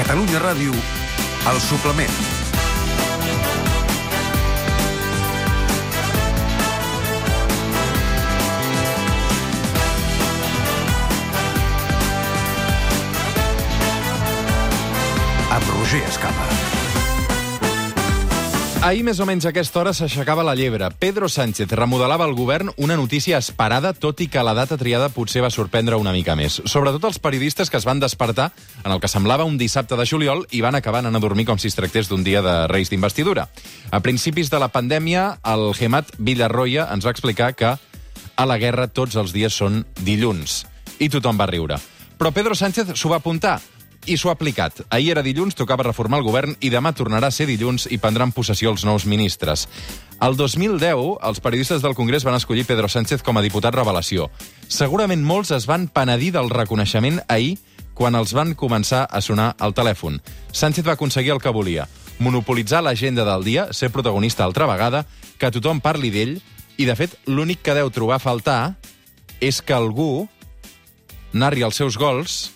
Catalunya Ràdio, El Suplement. Amb Roger Escapa. Ahir, més o menys a aquesta hora, s'aixecava la llebre. Pedro Sánchez remodelava el govern, una notícia esperada, tot i que la data triada potser va sorprendre una mica més. Sobretot els periodistes que es van despertar en el que semblava un dissabte de juliol i van acabar anant a dormir com si es tractés d'un dia de Reis d'investidura. A principis de la pandèmia, el Gemat Villarroya ens va explicar que a la guerra tots els dies són dilluns. I tothom va riure. Però Pedro Sánchez s'ho va apuntar i s'ho ha aplicat. Ahir era dilluns, tocava reformar el govern i demà tornarà a ser dilluns i prendran possessió els nous ministres. El 2010, els periodistes del Congrés van escollir Pedro Sánchez com a diputat revelació. Segurament molts es van penedir del reconeixement ahir quan els van començar a sonar al telèfon. Sánchez va aconseguir el que volia, monopolitzar l'agenda del dia, ser protagonista altra vegada, que tothom parli d'ell, i de fet l'únic que deu trobar a faltar és que algú narri els seus gols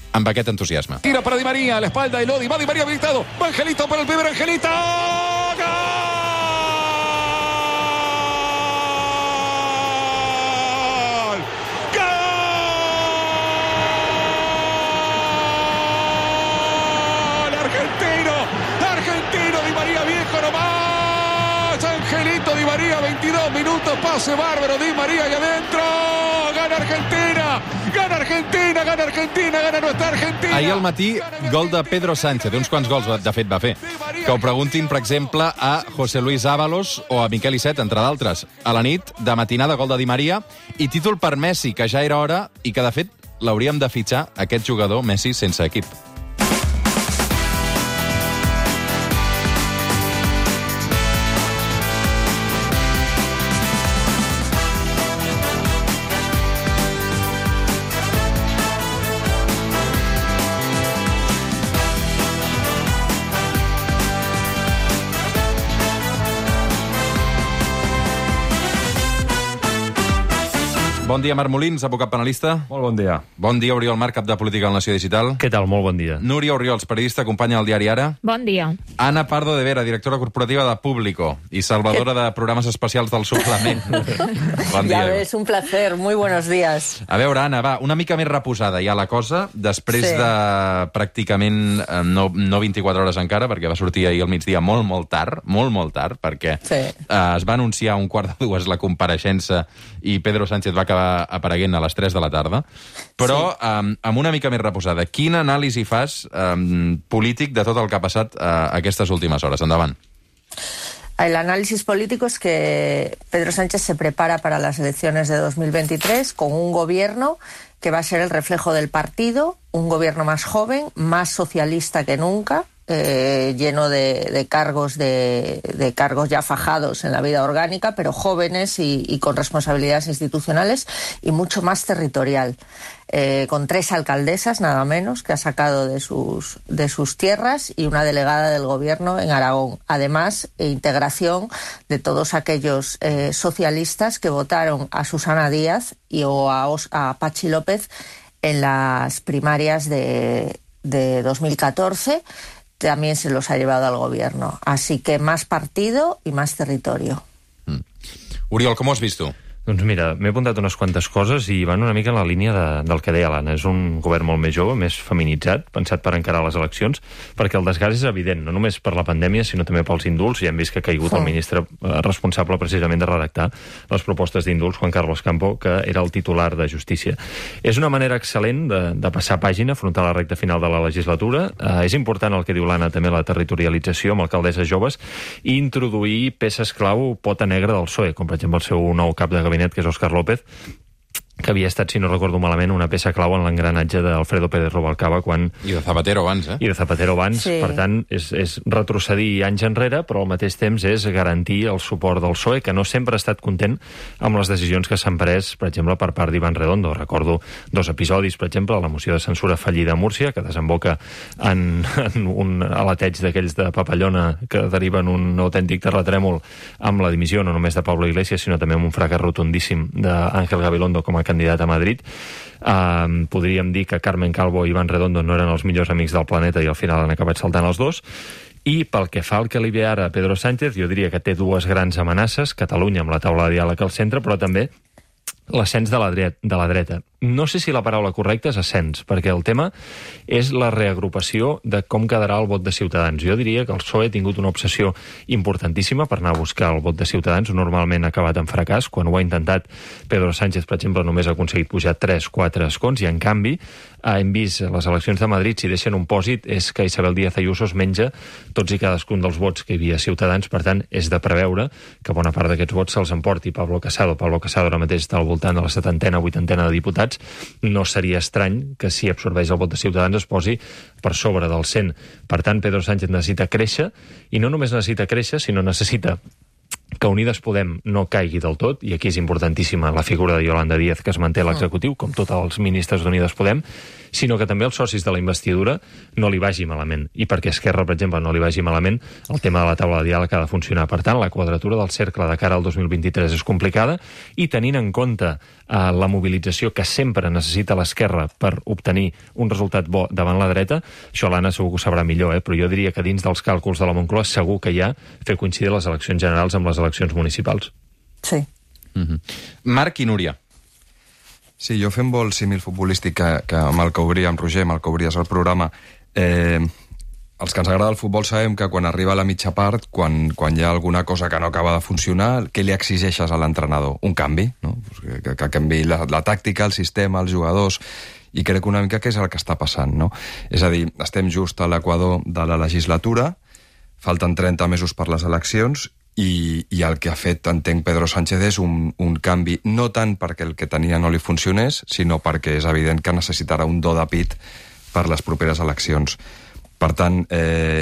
amb aquest entusiasme. Tira para Di María, a la espalda de Lodi, va Di María habilitado, va Angelito para el primer Angelito. ¡Gol! ¡Gol! Argentino, Di María viejo nomás. Angelito Di María, 22 minutos, pase bárbaro, Di María ahí adentro. Gana Argentina, gana Argentina, gana Argentina, gana nuestra Argentina. Ahir al matí, gol de Pedro Sánchez. Uns quants gols, de fet, va fer. Que ho preguntin, per exemple, a José Luis Ábalos o a Miquel Iceta, entre d'altres. A la nit, de matinada, gol de Di María. I títol per Messi, que ja era hora i que, de fet, l'hauríem de fitxar, aquest jugador, Messi, sense equip. Bon dia, Marc Molins, advocat penalista. Molt bon dia. Bon dia, Oriol Marc, cap de Política a la Nació Digital. Què tal? Molt bon dia. Núria Oriols, periodista, companya del diari Ara. Bon dia. Ana Pardo de Vera, directora corporativa de Público i salvadora de programes especials del Suplement. Bon dia. Ya ves, un placer. Muy buenos días. A veure, Anna, va, una mica més reposada ja la cosa, després de pràcticament no 24 hores encara, perquè va sortir ahir al migdia molt tard, perquè es va anunciar a 1:15 la compareixença i Pedro Sánchez va acabar apareguent a les 3 de la tarda. Però, amb una mica més reposada, quin anàlisi fas polític de tot el que ha passat aquestes últimes hores? Endavant. El análisis político es que Pedro Sánchez se prepara para las elecciones de 2023 con un gobierno que va a ser el reflejo del partido, un gobierno más joven, más socialista que nunca, lleno de cargos ya fajados en la vida orgánica, pero jóvenes y con responsabilidades institucionales, y mucho más territorial, con 3 alcaldesas nada menos que ha sacado de sus tierras y una delegada del gobierno en Aragón. Además, integración de todos aquellos socialistas que votaron a Susana Díaz o a Pachi López en las primarias de 2014. También se los ha llevado al gobierno. Así que más partido y más territorio. Oriol, com ho has vist tu? Doncs mira, m'he apuntat unes quantes coses i van una mica en la línia del que deia l'Anna. És un govern molt més jove, més feminitzat, pensat per encarar les eleccions, perquè el desgast és evident, no només per la pandèmia, sinó també pels indults. Ja hem vist que ha caigut el ministre responsable precisament de redactar les propostes d'indults, Juan Carlos Campo, que era el titular de Justícia. És una manera excel·lent de passar pàgina, afrontar la recta final de la legislatura. És important el que diu l'Anna, també la territorialització amb alcaldesses joves, i introduir peces clau pota negra del PSOE, com per exemple el seu nou cap de gabinet, que és Óscar López, que havia estat, si no recordo malament, una peça clau en l'engranatge d'Alfredo Pérez Rubalcaba quan... I de Zapatero abans, I de Zapatero abans, sí. Per tant, és retrocedir anys enrere, però al mateix temps és garantir el suport del PSOE, que no sempre ha estat content amb les decisions que s'han pres, per exemple, per part d'Iván Redondo. Recordo 2 episodis, per exemple, la moció de censura fallida a Múrcia, que desemboca en un aleteig d'aquells de papallona que deriven un autèntic terratrèmol amb la dimissió no només de Pablo Iglesias, sinó també amb un fracàs rotundíssim d'Àngel Gabilondo com a candidat a Madrid. Podríem dir que Carmen Calvo i Iván Redondo no eren els millors amics del planeta i al final han acabat saltant els dos. I pel que fa al que li ve ara a Pedro Sánchez, jo diria que té dues grans amenaces, Catalunya amb la taula de diàleg al centre, però també l'ascens de la dreta. No sé si la paraula correcta és ascens, perquè el tema és la reagrupació de com quedarà el vot de Ciutadans. Jo diria que el PSOE ha tingut una obsessió importantíssima per anar a buscar el vot de Ciutadans. Normalment ha acabat en fracàs. Quan ho ha intentat, Pedro Sánchez, per exemple, només ha aconseguit pujar 3-4 escons, i en canvi hem vist les eleccions de Madrid, si deixen un pòsit, és que Isabel Díaz Ayuso es menja tots i cadascun dels vots que hi havia a Ciutadans. Per tant, és de preveure que bona part d'aquests vots se'ls emporti Pablo Casado. Pablo Casado ara mateix està al voltant de la 70a, 80a de diputats. No seria estrany que si absorbeix el vot de Ciutadans es posi per sobre del 100. Per tant, Pedro Sánchez necessita créixer, i no només necessita créixer, sinó necessita que Unides Podem no caigui del tot, i aquí és importantíssima la figura de Yolanda Díaz, que es manté a l'executiu, com tots els ministres d'Unides Podem, sinó que també els socis de la investidura no li vagi malament. I perquè Esquerra, per exemple, no li vagi malament, el tema de la taula de diàleg ha de funcionar. Per tant, la quadratura del cercle de cara al 2023 és complicada, i tenint en compte la mobilització que sempre necessita l'Esquerra per obtenir un resultat bo davant la dreta, això l'Anna segur que ho sabrà millor, però jo diria que dins dels càlculs de la Moncloa segur que hi ha fer coincidir les eleccions generals amb les eleccions municipals. Sí. Marc i Núria. Sí, jo fem vol símil futbolístic que amb el que obria, amb Roger, amb el que obries el programa. Els que ens agrada el futbol sabem que quan arriba a la mitja part, quan hi ha alguna cosa que no acaba de funcionar, què li exigeixes a l'entrenador? Un canvi, no? Que canvi la tàctica, el sistema, els jugadors, i crec una mica que és el que està passant, no? És a dir, estem just a l'equador de la legislatura, falten 30 mesos per les eleccions, i el que ha fet, entenc, Pedro Sánchez és un canvi, no tant perquè el que tenia no li funcionés, sinó perquè és evident que necessitarà un do de pit per les properes eleccions. Per tant...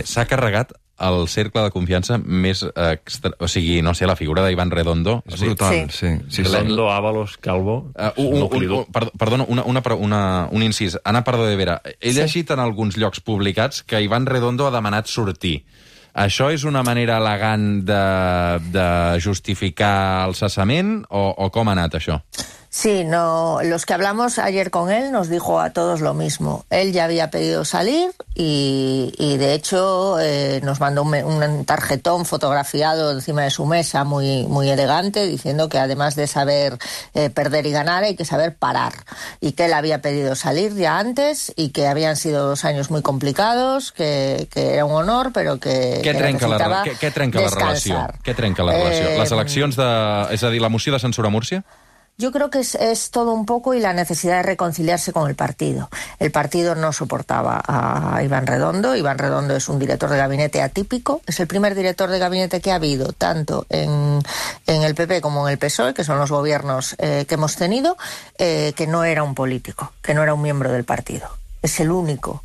S'ha carregat el cercle de confiança més... o sigui, no sé, la figura d'Iván Redondo. És brutal, sí. Redondo, Ábalos, Calvo... Perdona, un incís. Ana Pardo de Vera, he llegit en alguns llocs publicats que Iván Redondo ha demanat sortir. Això és una manera elegant de justificar el cessament o com ha anat això? Sí, no, los que hablamos ayer con él nos dijo a todos lo mismo. Él ya había pedido salir y de hecho nos mandó un tarjetón fotografiado encima de su mesa muy, muy elegante, diciendo que además de saber perder y ganar hay que saber parar, y que él había pedido salir ya antes y que habían sido 2 años muy complicados, que era un honor, pero que necesitaba descansar. Què trenca la relació? Què trenca la relació? Les eleccions és a dir, la moció de censura a Múrcia? Yo creo que es todo un poco, y la necesidad de reconciliarse con el partido. El partido no soportaba a Iván Redondo. Iván Redondo es un director de gabinete atípico. Es el primer director de gabinete que ha habido, tanto en el PP como en el PSOE, que son los gobiernos que hemos tenido, que no era un político, que no era un miembro del partido. Es el único,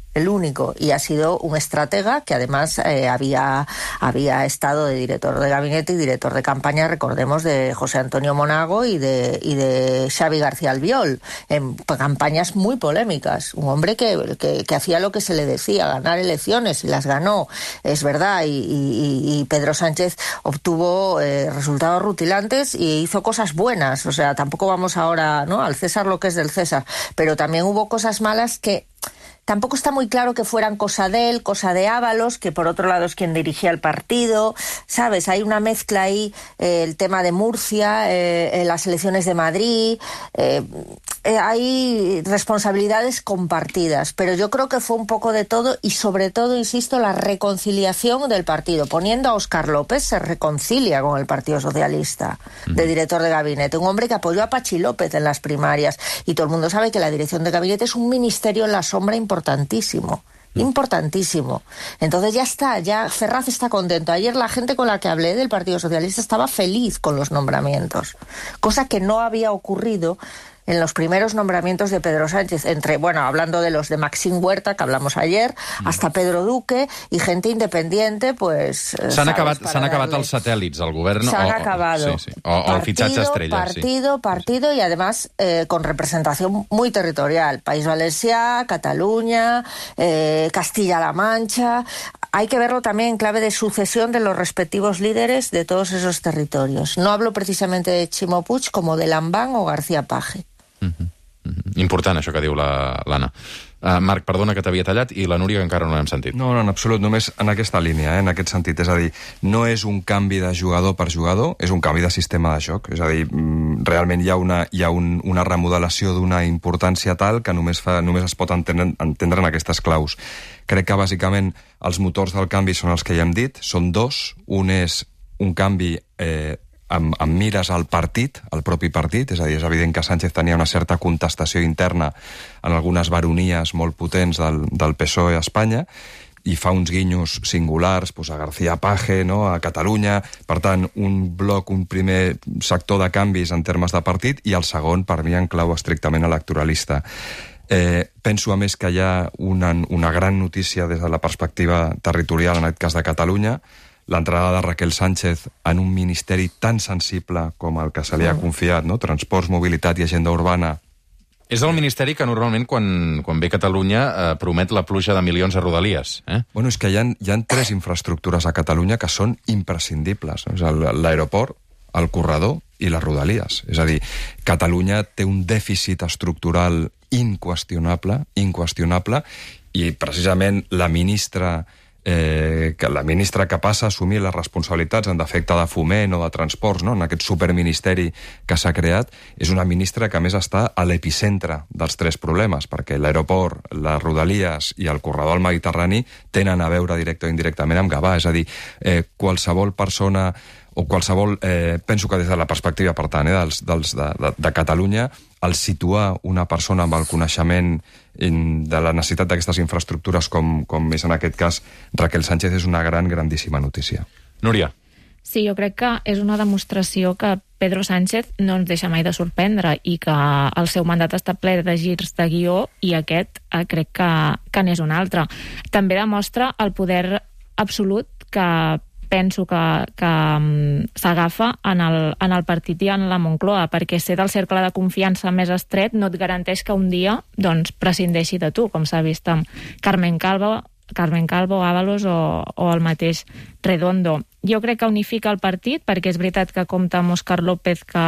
y ha sido un estratega que además había estado de director de gabinete y director de campaña, recordemos, de José Antonio Monago y de Xavi García Albiol, en campañas muy polémicas. Un hombre que hacía lo que se le decía, ganar elecciones, y las ganó, es verdad, y Pedro Sánchez obtuvo resultados rutilantes y hizo cosas buenas. O sea, tampoco vamos ahora, ¿no?, al César lo que es del César, pero también hubo cosas malas que tampoco está muy claro que fueran cosa de él, cosa de Ábalos, que por otro lado es quien dirigía el partido, ¿sabes? Hay una mezcla ahí, el tema de Murcia, las elecciones de Madrid, hay responsabilidades compartidas, pero yo creo que fue un poco de todo, y sobre todo, insisto, la reconciliación del partido. Poniendo a Óscar López, se reconcilia con el Partido Socialista, de director de gabinete, un hombre que apoyó a Pachi López en las primarias, y todo el mundo sabe que la dirección de gabinete es un ministerio en la sombra importantísimo. Entonces ya está, ya Ferraz está contento. Ayer la gente con la que hablé del Partido Socialista estaba feliz con los nombramientos, cosa que no había ocurrido en los primeros nombramientos de Pedro Sánchez, hablando de los de Maxim Huerta, que hablamos ayer, hasta Pedro Duque, y gente independiente, pues... S'han acabat els satèl·lits al govern? S'han acabado. Sí. O el fitxatge estrella. Partido, y además con representación muy territorial. País Valencià, Cataluña, Castilla-La Mancha... Hay que verlo también en clave de sucesión de los respectivos líderes de todos esos territorios. No hablo precisamente de Ximo Puig, como de Lambán o García Page. Important, això que diu l'Anna. Marc, perdona que t'havia tallat, i la Núria, que encara no l'hem sentit. No, en absolut, només en aquesta línia, en aquest sentit. És a dir, no és un canvi de jugador per jugador, és un canvi de sistema de joc. És a dir, realment hi ha una remodelació d'una importància tal que només es pot entendre en aquestes claus. Crec que, bàsicament, els motors del canvi són els que ja hem dit, són dos. Un és un canvi amb mires al partit, al propi partit, és a dir, és evident que Sánchez tenia una certa contestació interna en algunes baronies molt potents del PSOE a Espanya, i fa uns guinyos singulars a García Page, no?, a Catalunya. Per tant, un primer sector de canvis en termes de partit, i el segon, per mi, en clau estrictament electoralista. Penso, a més, que hi ha una gran notícia des de la perspectiva territorial, en aquest cas de Catalunya, l'entrada de Raquel Sánchez en un ministeri tan sensible com el que se li ha confiat, no? Transports, mobilitat i agenda urbana. És el ministeri que normalment, quan ve Catalunya, promet la pluja de milions a Rodalies. Bueno, és que hi ha 3 infraestructures a Catalunya que són imprescindibles, no? L'aeroport, el corredor i les Rodalies. És a dir, Catalunya té un dèficit estructural inqüestionable, i precisament la ministra que passa a assumir les responsabilitats en defecte de foment o de transports, no?, en aquest superministeri que s'ha creat, és una ministra que a més està a l'epicentre dels 3 problemes, perquè l'aeroport, les Rodalies i el corredor al Mediterrani tenen a veure directe o indirectament amb Gavà. És a dir, qualsevol persona o qualsevol... penso que des de la perspectiva, per tant, de Catalunya, al situar una persona amb el coneixement de la necessitat d'aquestes infraestructures, com és en aquest cas Raquel Sánchez, és una grandíssima notícia. Núria. Sí, jo crec que és una demostració que Pedro Sánchez no ens deixa mai de sorprendre i que el seu mandat està ple de girs de guió, i aquest crec que n'és un altre. També demostra el poder absolut que penso que s'agafa en el partit i en la Moncloa, perquè ser del cercle de confiança més estret no et garanteix que un dia prescindeixi de tu, com s'ha vist amb Carmen Calvo, Ábalos o el mateix Redondo. Jo crec que unifica el partit, perquè és veritat que compta amb Óscar López, que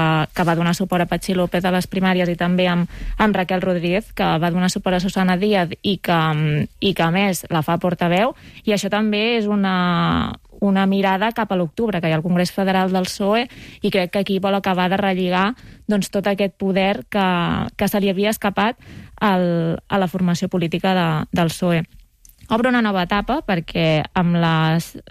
va donar suport a Patxi López a les primàries, i també amb Raquel Rodríguez, que va donar suport a Susana Díaz i que a més la fa portaveu, i això també és una mirada cap a l'octubre, que hi ha el Congrés Federal del PSOE, i crec que aquí vol acabar de relligar tot aquest poder que se li havia escapat a la formació política del PSOE. Obre una nova etapa perquè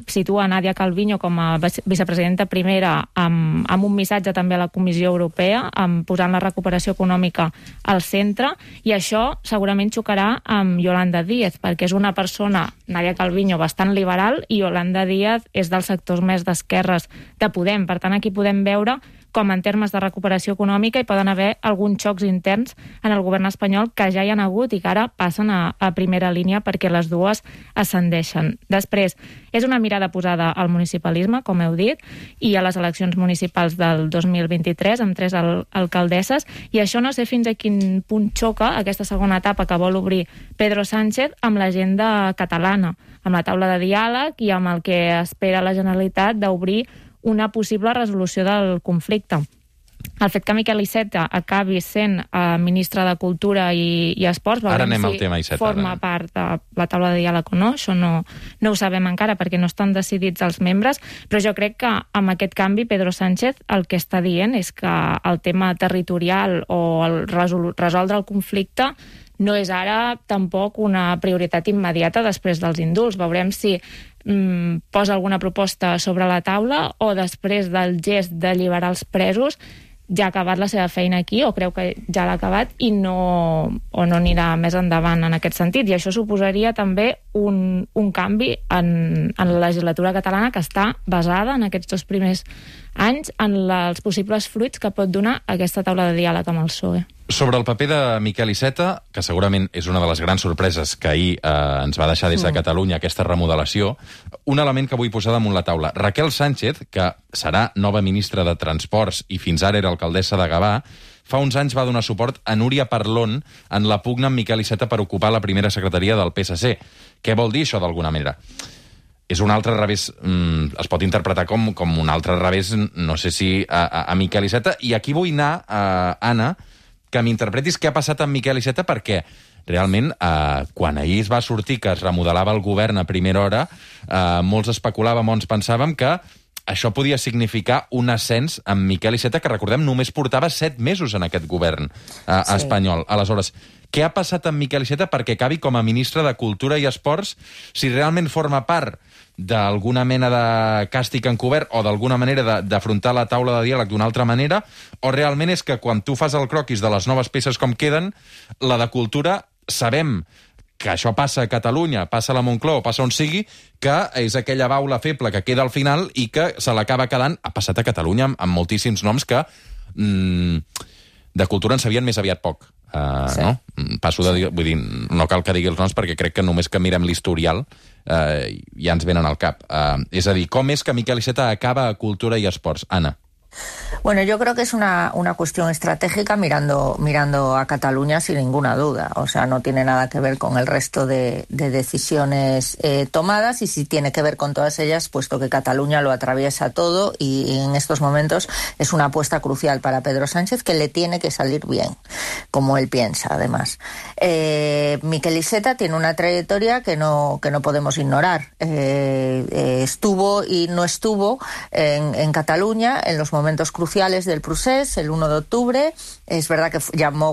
situa Nadia Calviño com a vicepresidenta primera, amb un missatge també a la Comissió Europea, posant la recuperació econòmica al centre, i això segurament xocarà amb Yolanda Díaz, perquè és una persona, Nadia Calviño, bastant liberal, i Yolanda Díaz és dels sectors més d'esquerres de Podem. Per tant, aquí podem veure com en termes de recuperació econòmica hi poden haver alguns xocs interns en el govern espanyol que ja hi han hagut i que ara passen a primera línia perquè les dues ascendeixen. Després, és una mirada posada al municipalisme, com heu dit, i a les eleccions municipals del 2023, amb 3 alcaldesses, i això no sé fins a quin punt xoca aquesta segona etapa que vol obrir Pedro Sánchez amb l'agenda catalana, amb la taula de diàleg i amb el que espera la Generalitat d'obrir una possible resolució del conflicte. El fet que Miquel Iceta acabi sent ministre de Cultura i Esports, ara anem al tema Iceta, forma part de la taula de diàleg o no, això no ho sabem encara perquè no estan decidits els membres, però jo crec que amb aquest canvi Pedro Sánchez el que està dient és que el tema territorial o el resoldre el conflicte no és ara tampoc una prioritat immediata després dels indults. Veurem si posa alguna proposta sobre la taula o després del gest d'alliberar els presos ja ha acabat la seva feina aquí, o creu que ja l'ha acabat i no anirà més endavant en aquest sentit. I això suposaria també un canvi en la legislatura catalana, que està basada en aquests 2 primers anys en els possibles fruits que pot donar aquesta taula de diàleg amb el PSOE. Sobre el paper de Miquel Iceta, que segurament és una de les grans sorpreses que ahir ens va deixar des de Catalunya aquesta remodelació, un element que vull posar damunt la taula. Raquel Sánchez, que serà nova ministra de Transports i fins ara era alcaldessa de Gavà, fa uns anys va donar suport a Núria Parlon en la pugna amb Miquel Iceta per ocupar la primera secretaria del PSC. Què vol dir això d'alguna manera? És un altre revés, es pot interpretar com un altre revés, no sé si a Miquel Iceta, i aquí vull anar, Anna, que m'interpretis què ha passat amb Miquel Iceta, perquè realment, quan ahir es va sortir que es remodelava el govern a primera hora, molts especulàvem, molts pensàvem que això podia significar un ascens amb Miquel Iceta, que recordem només portava 7 mesos en aquest govern espanyol. Aleshores, què ha passat amb Miquel Iceta perquè acabi com a ministre de Cultura i Esports, si realment forma part d'alguna mena de càstig encobert o d'alguna manera d'afrontar la taula de diàleg d'una altra manera, o realment és que quan tu fas el croquis de les noves peces com queden, la de Cultura sabem que això passa a Catalunya, passa a la Moncloa, passa on sigui, que és aquella baula feble que queda al final i que se l'acaba quedant. Ha passat a Catalunya amb moltíssims noms que de cultura en sabien més aviat poc. No? Passo de dir, vull dir, no cal que digui els noms perquè crec que només que mirem l'historial ja ens venen al cap. És a dir, com és que Miquel Iceta acaba a Cultura i Esports? Anna. Bueno, yo creo que es una cuestión estratégica mirando a Cataluña sin ninguna duda. O sea, no tiene nada que ver con el resto de decisiones tomadas y sí tiene que ver con todas ellas, puesto que Cataluña lo atraviesa todo y en estos momentos es una apuesta crucial para Pedro Sánchez que le tiene que salir bien, como él piensa, además. Miquel Iceta tiene una trayectoria que no podemos ignorar. Estuvo y no estuvo en Cataluña en los momentos cruciales del procés, el 1 de octubre. Es verdad que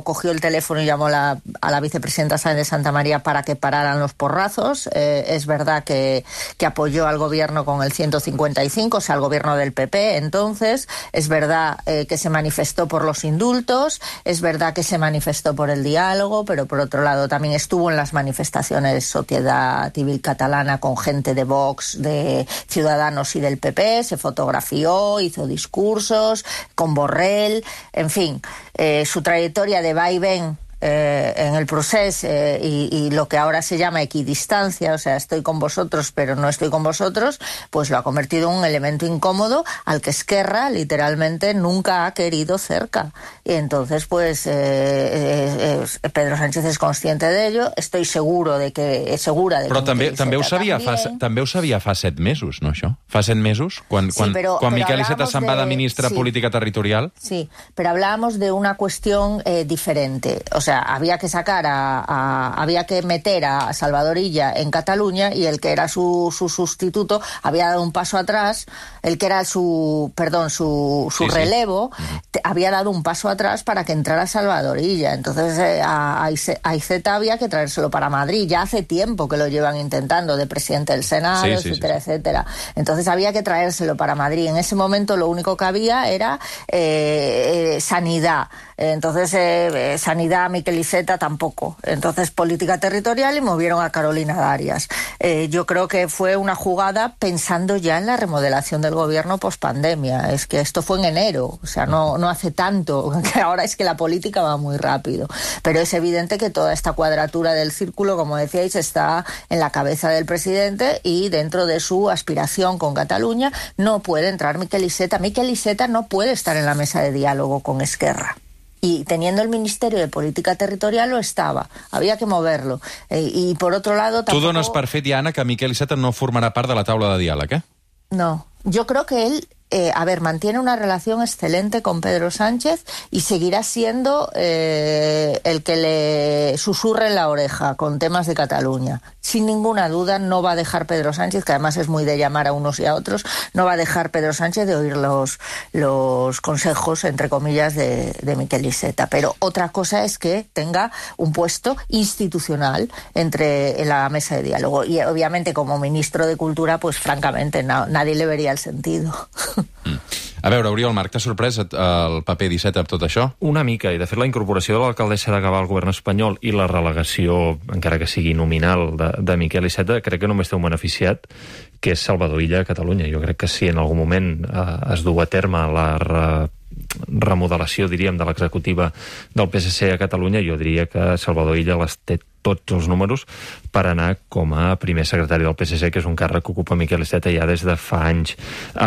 cogió el teléfono y llamó a la vicepresidenta Sáenz de Santa María para que pararan los porrazos. Es verdad que apoyó al gobierno con el 155, o sea, al gobierno del PP. Entonces, es verdad que se manifestó por los indultos, es verdad que se manifestó por el diálogo, pero por otro lado también estuvo en las manifestaciones de Sociedad Civil Catalana con gente de Vox, de Ciudadanos y del PP, se fotografió, hizo discursos con Borrell, en fin, su trayectoria de va y ven en el proceso y lo que ahora se llama equidistancia, o sea, estoy con vosotros pero no estoy con vosotros, pues lo ha convertido en un elemento incómodo al que Esquerra literalmente nunca ha querido cerca. Y entonces, pues, Pedro Sánchez és consciente de ello, estoy segura de que Però també ho sabia fa 7 mesos, no, això? Fa 7 mesos? Quan Miquel Iceta se'n va de ministre de Política Territorial? Sí, pero hablábamos de una cuestión diferente. O sea, había que meter a Salvador Illa en Cataluña y el que era su sustituto había dado un paso atrás, el que era su relevo, había dado un paso atrás para que entrara Salvador Illa. Entonces a Iceta había que traérselo para Madrid. Ya hace tiempo que lo llevan intentando, de presidente del Senado, etcétera, etcétera. Entonces había que traérselo para Madrid. En ese momento lo único que había era sanidad. Entonces sanidad, Miquel Iceta tampoco. Entonces política territorial y movieron a Carolina Darias. Yo creo que fue una jugada pensando ya en la remodelación del gobierno pospandemia. Es que esto fue en enero, o sea, no hace tanto, que ahora es que la política va muy rápido. Pero es evidente que toda esta cuadratura del círculo, como decíais, está en la cabeza del presidente y dentro de su aspiración con Cataluña no puede entrar Miquel Iceta. Miquel Iceta no puede estar en la mesa de diálogo con Esquerra. Y teniendo el Ministerio de Política Territorial lo estaba. Había que moverlo. Y por otro lado... Tu dones per fet, Anna, que Miquel Iceta no formarà part de la taula de diàleg, eh? No. Yo creo que él... mantiene una relación excelente con Pedro Sánchez y seguirá siendo el que le susurre en la oreja con temas de Cataluña. Sin ninguna duda no va a dejar Pedro Sánchez, que además es muy de llamar a unos y a otros, no va a dejar Pedro Sánchez de oír los consejos, entre comillas, de Miquel Iceta. Pero otra cosa es que tenga un puesto institucional en la mesa de diálogo. Y obviamente como ministro de Cultura, pues francamente nadie le vería el sentido. A veure, Oriol Marc, t'ha sorprès el paper d'Iceta amb tot això? Una mica, i de fet la incorporació de l'alcaldessa de Gavà al govern espanyol i la relegació, encara que sigui nominal, de Miquel Iceta, crec que només té un beneficiat, que és Salvador Illa a Catalunya. Jo crec que si en algun moment es du a terme la remodelació, diríem, de l'executiva del PSC a Catalunya, jo diria que Salvador Illa les té tots els números per anar com a primer secretari del PSC, que és un càrrec que ocupa Miquel Iceta ja des de fa anys.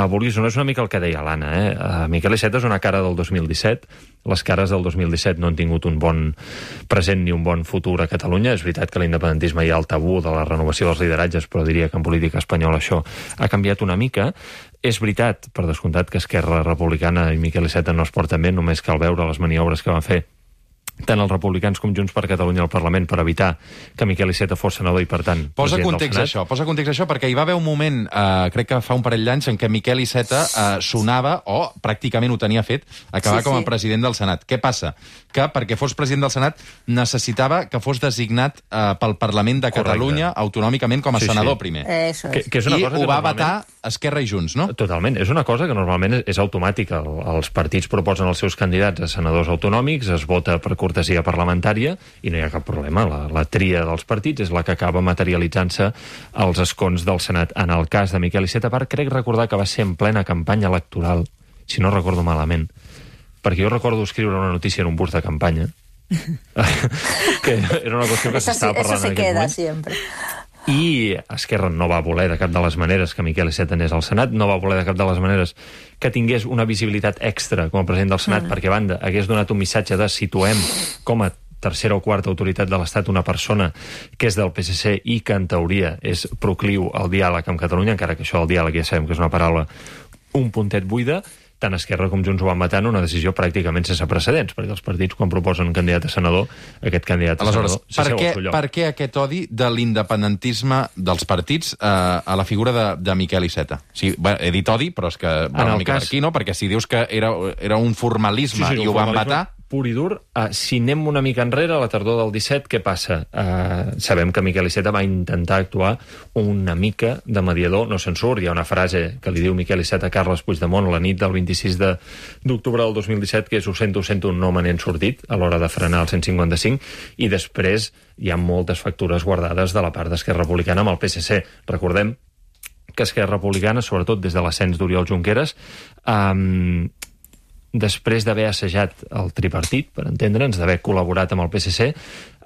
Vulguis o no, és una mica el que deia l'Anna, Miquel Iceta és una cara del 2017, les cares del 2017 no han tingut un bon present ni un bon futur a Catalunya. És veritat que l'independentisme hi ha el tabú de la renovació dels lideratges, però diria que en política espanyola això ha canviat una mica. És veritat, per descomptat, que Esquerra Republicana i Miquel Iceta no es porten bé, només cal veure les maniobres que van fer tant els republicans com Junts per Catalunya al Parlament per evitar que Miquel Iceta fos senador i, per tant, Posa president context del a Senat. això, posa context a això, perquè hi va haver un moment, crec que fa un parell d'anys, en què Miquel Iceta sonava, o pràcticament ho tenia fet, acabar com a president del Senat. Què passa? Que perquè fos president del Senat necessitava que fos designat pel Parlament de Catalunya autonòmicament com a senador primer. Eso es. Que és una I cosa que ho va normalment- vetar Esquerra i Junts, no? Totalment. És una cosa que normalment és automàtica. Els partits proposen els seus candidats a senadors autonòmics, es vota per cortesia parlamentària i no hi ha cap problema. La tria dels partits és la que acaba materialitzant-se als escons del Senat. En el cas de Miquel Iceta, crec recordar que va ser en plena campanya electoral, si no recordo malament, perquè jo recordo escriure una notícia en un bus de campanya que era una qüestió que s'estava parlant eso se en aquell queda moment. siempre. I Esquerra no va voler de cap de les maneres que Miquel Iceta anés al Senat, no va voler de cap de les maneres que tingués una visibilitat extra com a president del Senat, perquè, a banda, hagués donat un missatge de situem com a tercera o quarta autoritat de l'Estat una persona que és del PSC i que, en teoria, és procliu al diàleg amb Catalunya, encara que això del diàleg ja sabem que és una paraula un puntet buida. Tant Esquerra com Junts ho van matar en una decisió pràcticament sense precedents, perquè els partits, quan proposen un candidat a senador, aquest candidat a Aleshores, senador s'asseu al seu lloc. per què aquest odi de l'independentisme dels partits a la figura de Miquel Iceta? O sigui, he dit odi, però és que va una mica per aquí, no? Perquè si dius que era un formalisme i ho van vetar... Pur i dur. Si anem una mica enrere, a la tardor del 17, què passa? Sabem que Miquel Iceta va intentar actuar una mica de mediador, no se'n surt. Hi ha una frase que li diu Miquel Iceta a Carles Puigdemont la nit del 26 d'octubre del 2017, que és ho sento, no me n'he sortit a l'hora de frenar el 155, i després hi ha moltes factures guardades de la part d'Esquerra Republicana amb el PSC. Recordem que Esquerra Republicana, sobretot des de l'ascens d'Oriol Junqueras, després d'haver assajat el tripartit, per entendre'ns, d'haver col·laborat amb el PSC,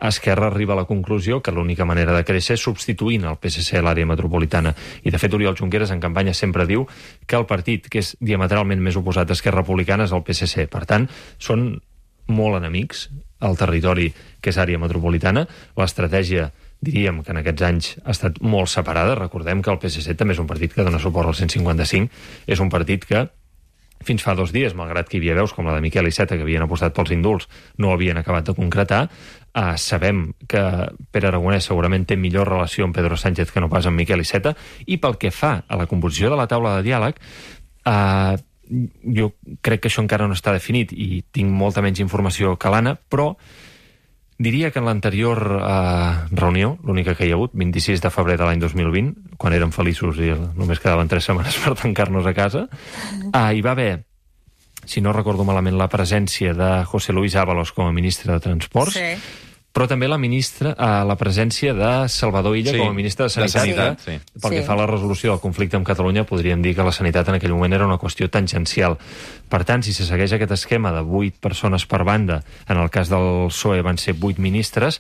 Esquerra arriba a la conclusió que l'única manera de créixer és substituint el PSC a l'àrea metropolitana. I, de fet, Oriol Junqueras en campanya sempre diu que el partit que és diametralment més oposat a Esquerra Republicana és el PSC. Per tant, són molt enemics al territori que és àrea metropolitana. L'estratègia, diríem que en aquests anys ha estat molt separada. Recordem que el PSC també és un partit que dona suport al 155. És un partit que fins fa 2 dies, malgrat que hi havia veus com la de Miquel Iceta, que havien apostat pels indults, no havien acabat de concretar. Sabem que Pere Aragonès segurament té millor relació amb Pedro Sánchez que no pas amb Miquel Iceta, i pel que fa a la composició de la taula de diàleg, jo crec que això encara no està definit i tinc molta menys informació que l'Anna, però diria que en l'anterior reunió, l'única que hi ha hagut, 26 de febrer de l'any 2020, quan érem feliços i només quedaven 3 setmanes per tancar-nos a casa, hi va haver, si no recordo malament, la presència de José Luis Ábalos com a ministre de Transports, però també la presència de Salvador Illa com a ministre de Sanitat. Pel que fa a la resolució del conflicte amb Catalunya, podríem dir que la sanitat en aquell moment era una qüestió tangencial. Per tant, si se segueix aquest esquema de 8 persones per banda, en el cas del PSOE van ser 8 ministres,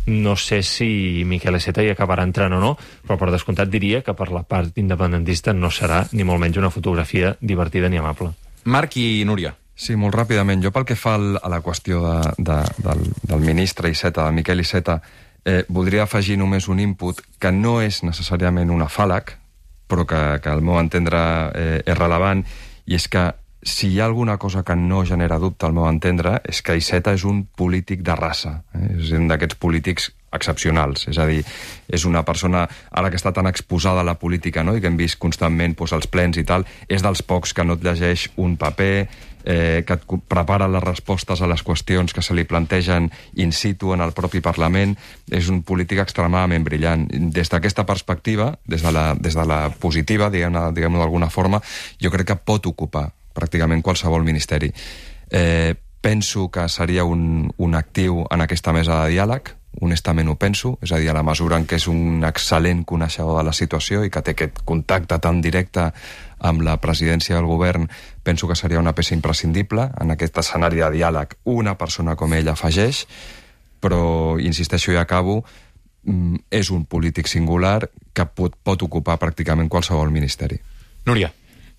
no sé si Miquel Iceta hi acabarà entrant o no, però per descomptat diria que per la part independentista no serà ni molt menys una fotografia divertida ni amable. Marc i Núria. Sí, molt ràpidament. Jo pel que fa a la qüestió del ministre Iceta, de Miquel Iceta, voldria afegir només un input que no és necessàriament un afàleg, però que al meu entendre és rellevant, i és que si hi ha alguna cosa que no genera dubte al meu entendre és que Iceta és un polític de raça, és un d'aquests polítics excepcionals, és a dir, és una persona, ara que està tan exposada a la política, no?, i que hem vist constantment als plens i tal, és dels pocs que no et llegeix un paper, que et prepara les respostes a les qüestions que se li plantegen in situ en el propi Parlament. És un polític extremadament brillant. Des d'aquesta perspectiva, des de la positiva, diguem-ho d'alguna forma, jo crec que pot ocupar pràcticament qualsevol ministeri. Penso que seria un actiu en aquesta mesa de diàleg, honestament ho penso, és a dir, a la mesura en què és un excel·lent coneixedor de la situació i que té aquest contacte tan directe amb la presidència del govern, penso que seria una peça imprescindible en aquest escenari de diàleg. Una persona com ell afegeix, però, insisteixo i acabo, és un polític singular que pot ocupar pràcticament qualsevol ministeri. Núria.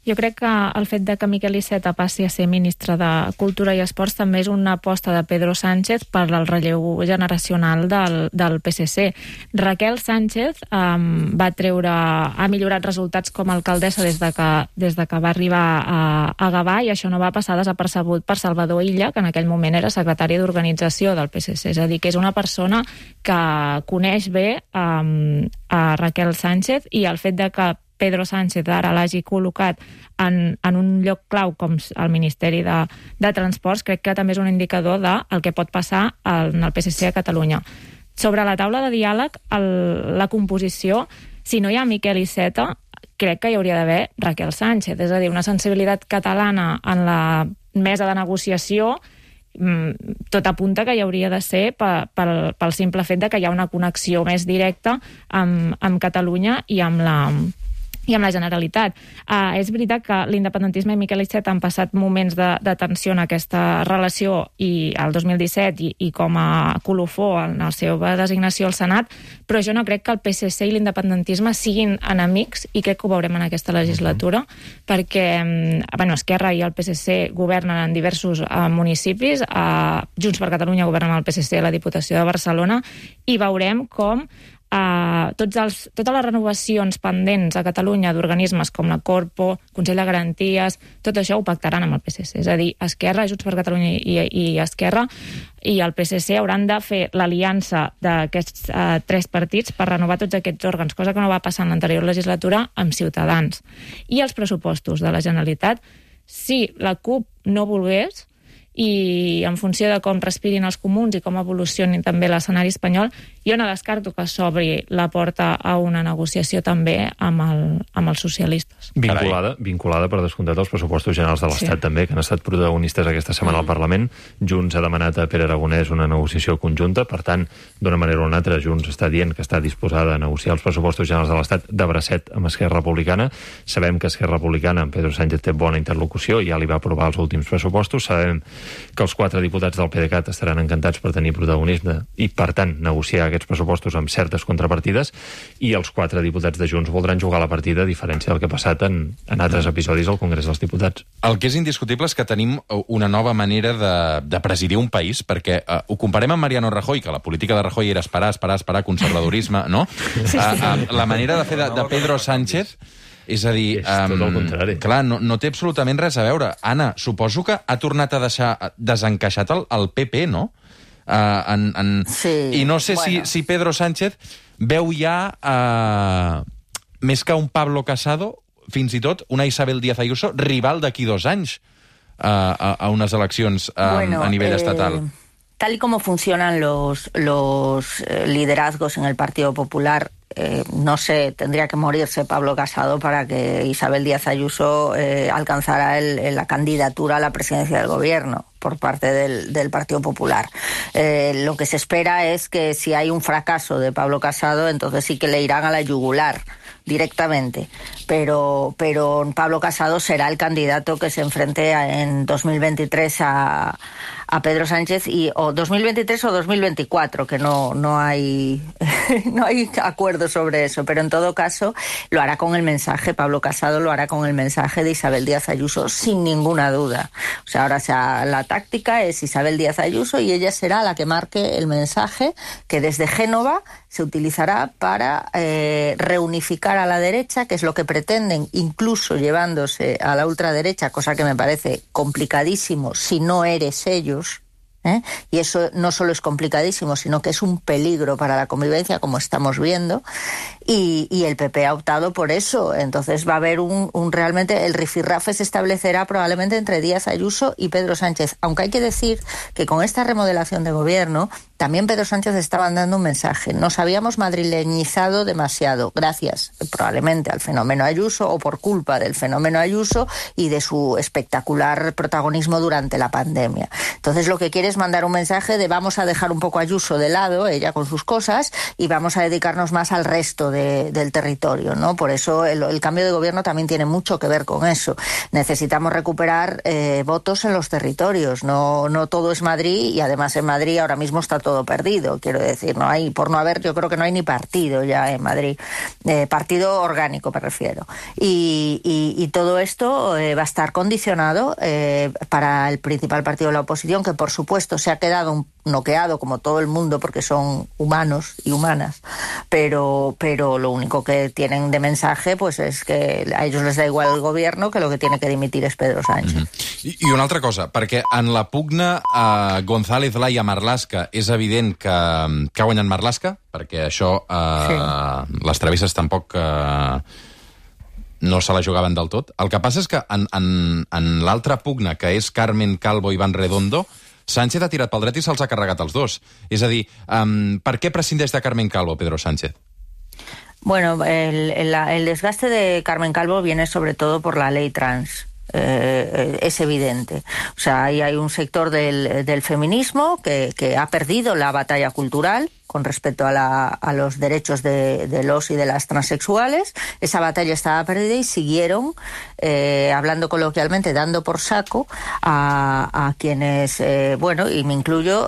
Jo crec que el fet de que Miquel Iceta passi a ser ministre de Cultura i Esports també és una aposta de Pedro Sánchez per al relleu generacional del PSC. Raquel Sánchez ha millorat resultats com a alcaldessa des de que va arribar a Gavà, i això no va passar desapercebut per Salvador Illa, que en aquell moment era secretari d'organització del PSC. És a dir, que és una persona que coneix bé a Raquel Sánchez, i el fet de que Pedro Sánchez ara l'hagi col·locat en un lloc clau com el Ministeri de Transports, crec que també és un indicador del que pot passar en el PSC a Catalunya. Sobre la taula de diàleg, la composició, si no hi ha Miquel Iceta, crec que hi hauria d'haver Raquel Sánchez, és a dir, una sensibilitat catalana en la mesa de negociació. Tot apunta que hi hauria de ser pel simple fet de que hi ha una connexió més directa amb Catalunya i amb la Generalitat. És veritat que l'independentisme i Miquel Iceta han passat moments de tensió en aquesta relació, i el 2017 i com a colofó en la seva designació al Senat, però jo no crec que el PSC i l'independentisme siguin enemics, i crec que ho veurem en aquesta legislatura, perquè Esquerra i el PSC governen en diversos municipis, Junts per Catalunya governen el PSC a la Diputació de Barcelona, i veurem com totes les renovacions pendents a Catalunya d'organismes com la Corpo, Consell de Garanties, tot això ho pactaran amb el PSC. És a dir, Esquerra, Junts per Catalunya i Esquerra i el PSC hauran de fer l'aliança d'aquests tres partits per renovar tots aquests òrgans, cosa que no va passar en l'anterior legislatura amb Ciutadans. I els pressupostos de la Generalitat, si la CUP no volgués, i en funció de com respirin els comuns i com evolucioni també l'escenari espanyol, jo no descarto que s'obri la porta a una negociació també amb els socialistes. Vinculada per descomptat als pressupostos generals de l'Estat, també, que han estat protagonistes aquesta setmana al Parlament. Junts ha demanat a Pere Aragonès una negociació conjunta, per tant, d'una manera o una altra, Junts està dient que està disposada a negociar els pressupostos generals de l'Estat de bracet amb Esquerra Republicana. Sabem que Esquerra Republicana amb Pedro Sánchez té bona interlocució, ja li va aprovar els últims pressupostos. Sabem que els 4 diputats del PDeCAT estaran encantats per tenir protagonisme i, per tant, negociar aquests pressupostos amb certes contrapartides, i els 4 diputats de Junts voldran jugar la partida, a diferència del que ha passat en altres episodis al Congrés dels Diputats. El que és indiscutible és que tenim una nova manera de presidir un país, perquè ho comparem amb Mariano Rajoy, que la política de Rajoy era esperar, conservadorisme, no? La manera de fer de Pedro Sánchez... És a dir, tot el contrari. Clar, no té absolutament res a veure. Anna, suposo que ha tornat a deixar desencaixat el PP, no? Sí. I no sé si Pedro Sánchez veu ja, més que un Pablo Casado, fins i tot una Isabel Díaz Ayuso, rival d'aquí 2 anys a unes eleccions a nivell estatal. Tal y como funcionan los liderazgos en el Partido Popular, no sé, tendría que morirse Pablo Casado para que Isabel Díaz Ayuso alcanzara la candidatura a la presidencia del gobierno por parte del Partido Popular. Lo que se espera es que si hay un fracaso de Pablo Casado, entonces sí que le irán a la yugular directamente, pero Pablo Casado será el candidato que se enfrente en 2023 a Pedro Sánchez, o 2023 o 2024, que no hay no hay acuerdo sobre eso, pero en todo caso lo hará con el mensaje, Pablo Casado lo hará con el mensaje de Isabel Díaz Ayuso, sin ninguna duda. O sea, ahora la táctica es Isabel Díaz Ayuso, y ella será la que marque el mensaje que desde Génova se utilizará para reunificar a la derecha, que es lo que pretenden, incluso llevándose a la ultraderecha, cosa que me parece complicadísimo si no eres ellos. Y eso no solo es complicadísimo, sino que es un peligro para la convivencia, como estamos viendo, y el PP ha optado por eso. Entonces va a haber realmente el rifirrafe se establecerá probablemente entre Díaz Ayuso y Pedro Sánchez, aunque hay que decir que con esta remodelación de gobierno también Pedro Sánchez estaba dando un mensaje. Nos habíamos madrileñizado demasiado, gracias probablemente al fenómeno Ayuso, o por culpa del fenómeno Ayuso y de su espectacular protagonismo durante la pandemia. Entonces lo que quiere es mandar un mensaje de vamos a dejar un poco a Ayuso de lado, ella con sus cosas, y vamos a dedicarnos más al resto del territorio, ¿no? Por eso el cambio de gobierno también tiene mucho que ver con eso. Necesitamos recuperar votos en los territorios, no todo es Madrid, y además en Madrid ahora mismo está todo todo perdido, quiero decir, yo creo que no hay ni partido ya en Madrid, partido orgánico me refiero, y todo esto va a estar condicionado para el principal partido de la oposición, que por supuesto se ha quedado noqueado como todo el mundo porque son humanos y humanas, pero lo único que tienen de mensaje pues es que a ellos les da igual el gobierno, que lo que tiene que dimitir es Pedro Sánchez. I una altra cosa, perquè en la pugna González Laya Marlaska és evident que ha guanyat Marlaska, perquè això les travesses tampoc no se la jugaven del tot. El que passa és que en l'altra pugna, que és Carmen Calvo i Iván Redondo, Sánchez ha tirat pel dret i se'ls ha carregat els dos. És a dir, per què prescindeix de Carmen Calvo, Pedro Sánchez? Bueno, el desgaste de Carmen Calvo viene sobre todo por la ley trans. Es evidente. O sea, ahí hay un sector del feminismo que ha perdido la batalla cultural con respecto a los derechos de los y de las transexuales. Esa batalla estaba perdida y siguieron, hablando coloquialmente, dando por saco a quienes, y me incluyo,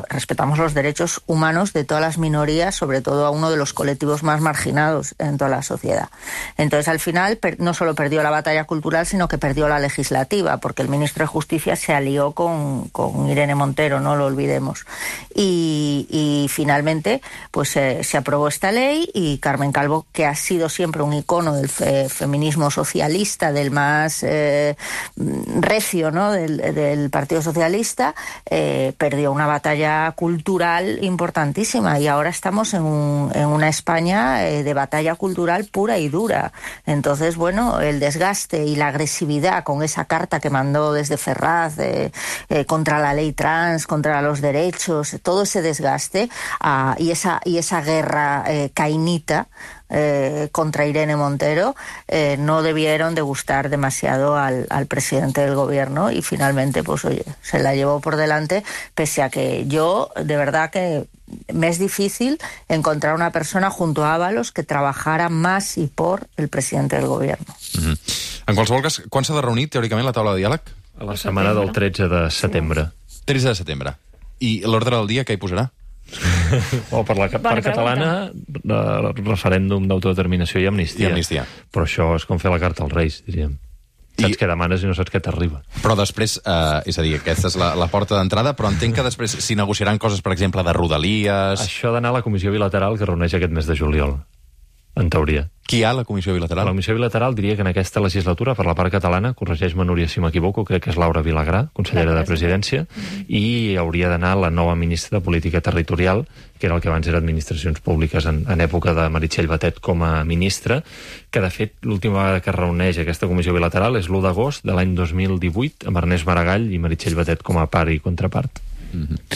respetamos los derechos humanos de todas las minorías, sobre todo a uno de los colectivos más marginados en toda la sociedad. Entonces, al final, no solo perdió la batalla cultural, sino que perdió la legislativa, porque el ministro de Justicia se alió con Irene Montero, no lo olvidemos. Y finalmente pues se aprobó esta ley y Carmen Calvo, que ha sido siempre un icono del feminismo socialista, del más recio, ¿no?, del Partido Socialista, perdió una batalla cultural importantísima y ahora estamos en una España de batalla cultural pura y dura. Entonces, bueno, el desgaste y la agresividad con esa carta que mandó desde Ferraz contra la ley trans, contra los derechos, todo ese desgaste y esa guerra cainita contra Irene Montero no debieron de gustar demasiado al presidente del gobierno y finalmente pues oye, se la llevó por delante, pese a que yo de verdad que me es difícil encontrar una persona junto a Ábalos que trabajara más y por el presidente del gobierno. En qualsevol cas, quan s'ha de reunir teòricament la taula de diàleg? A la setmana del 13 de setembre. 13 de setembre. I l'ordre del dia què hi posarà? Per la part catalana, referèndum d'autodeterminació i amnistia. Però això és com fer la carta als Reis, diríem. Saps què demanes i no saps què t'arriba. Però després, és a dir, aquesta és la porta d'entrada, però entenc que després s'hi negociaran coses, per exemple, de rodalies... Això ha d'anar a la comissió bilateral que reuneix aquest mes de juliol, en teoria. Qui hi ha a la comissió bilateral? La comissió bilateral diria que en aquesta legislatura, per la part catalana, corregeix-me Núria si m'equivoco, crec que és Laura Vilagrà, consellera de Presidència, i hauria d'anar la nova ministra de Política Territorial, que era el que abans era Administracions Públiques en època de Meritxell Batet com a ministra, que de fet l'última vegada que es reuneix aquesta comissió bilateral és l'1 d'agost de l'any 2018, amb Ernest Maragall i Meritxell Batet com a part i contrapart.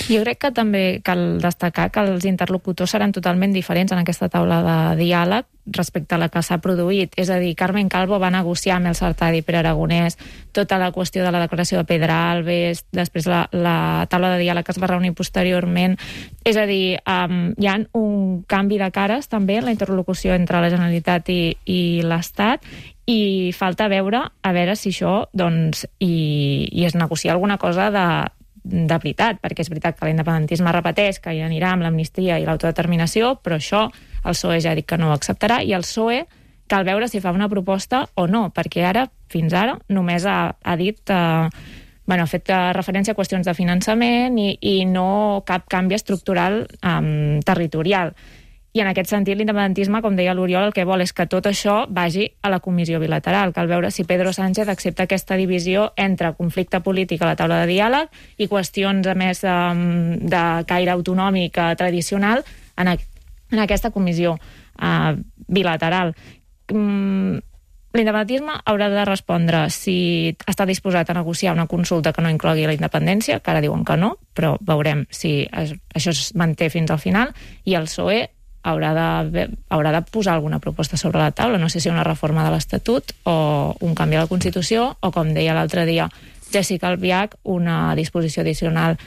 Jo crec que també cal destacar que els interlocutors seran totalment diferents en aquesta taula de diàleg respecte a la que s'ha produït. És a dir, Carmen Calvo va negociar amb el Sartadi Pere Aragonès tota la qüestió de la declaració de Pedralbes, després la taula de diàleg que es va reunir posteriorment. És a dir, hi ha un canvi de cares també en la interlocució entre la Generalitat i l'Estat, i falta veure a veure si això doncs, i es negocia alguna cosa de veritat, perquè és veritat que l'independentisme repeteix que hi anirà amb l'amnistia i l'autodeterminació, però això el PSOE ja ha dit que no ho acceptarà, i el PSOE cal veure si fa una proposta o no, perquè fins ara només ha dit ha fet referència a qüestions de finançament i no cap canvi estructural territorial. I en aquest sentit l'independentisme, com deia l'Oriol, el que vol és que tot això vagi a la comissió bilateral. Cal veure si Pedro Sánchez accepta aquesta divisió entre conflicte polític a la taula de diàleg i qüestions a més de caire autonòmic tradicional en aquesta comissió bilateral. L'independentisme haurà de respondre si està disposat a negociar una consulta que no inclogui la independència, que ara diuen que no, però veurem si això es manté fins al final, i el PSOE haurà de posar alguna proposta sobre la taula, no sé si una reforma de l'Estatut o un canvi a la Constitució o, com deia l'altre dia Jessica Albiach una disposició addicional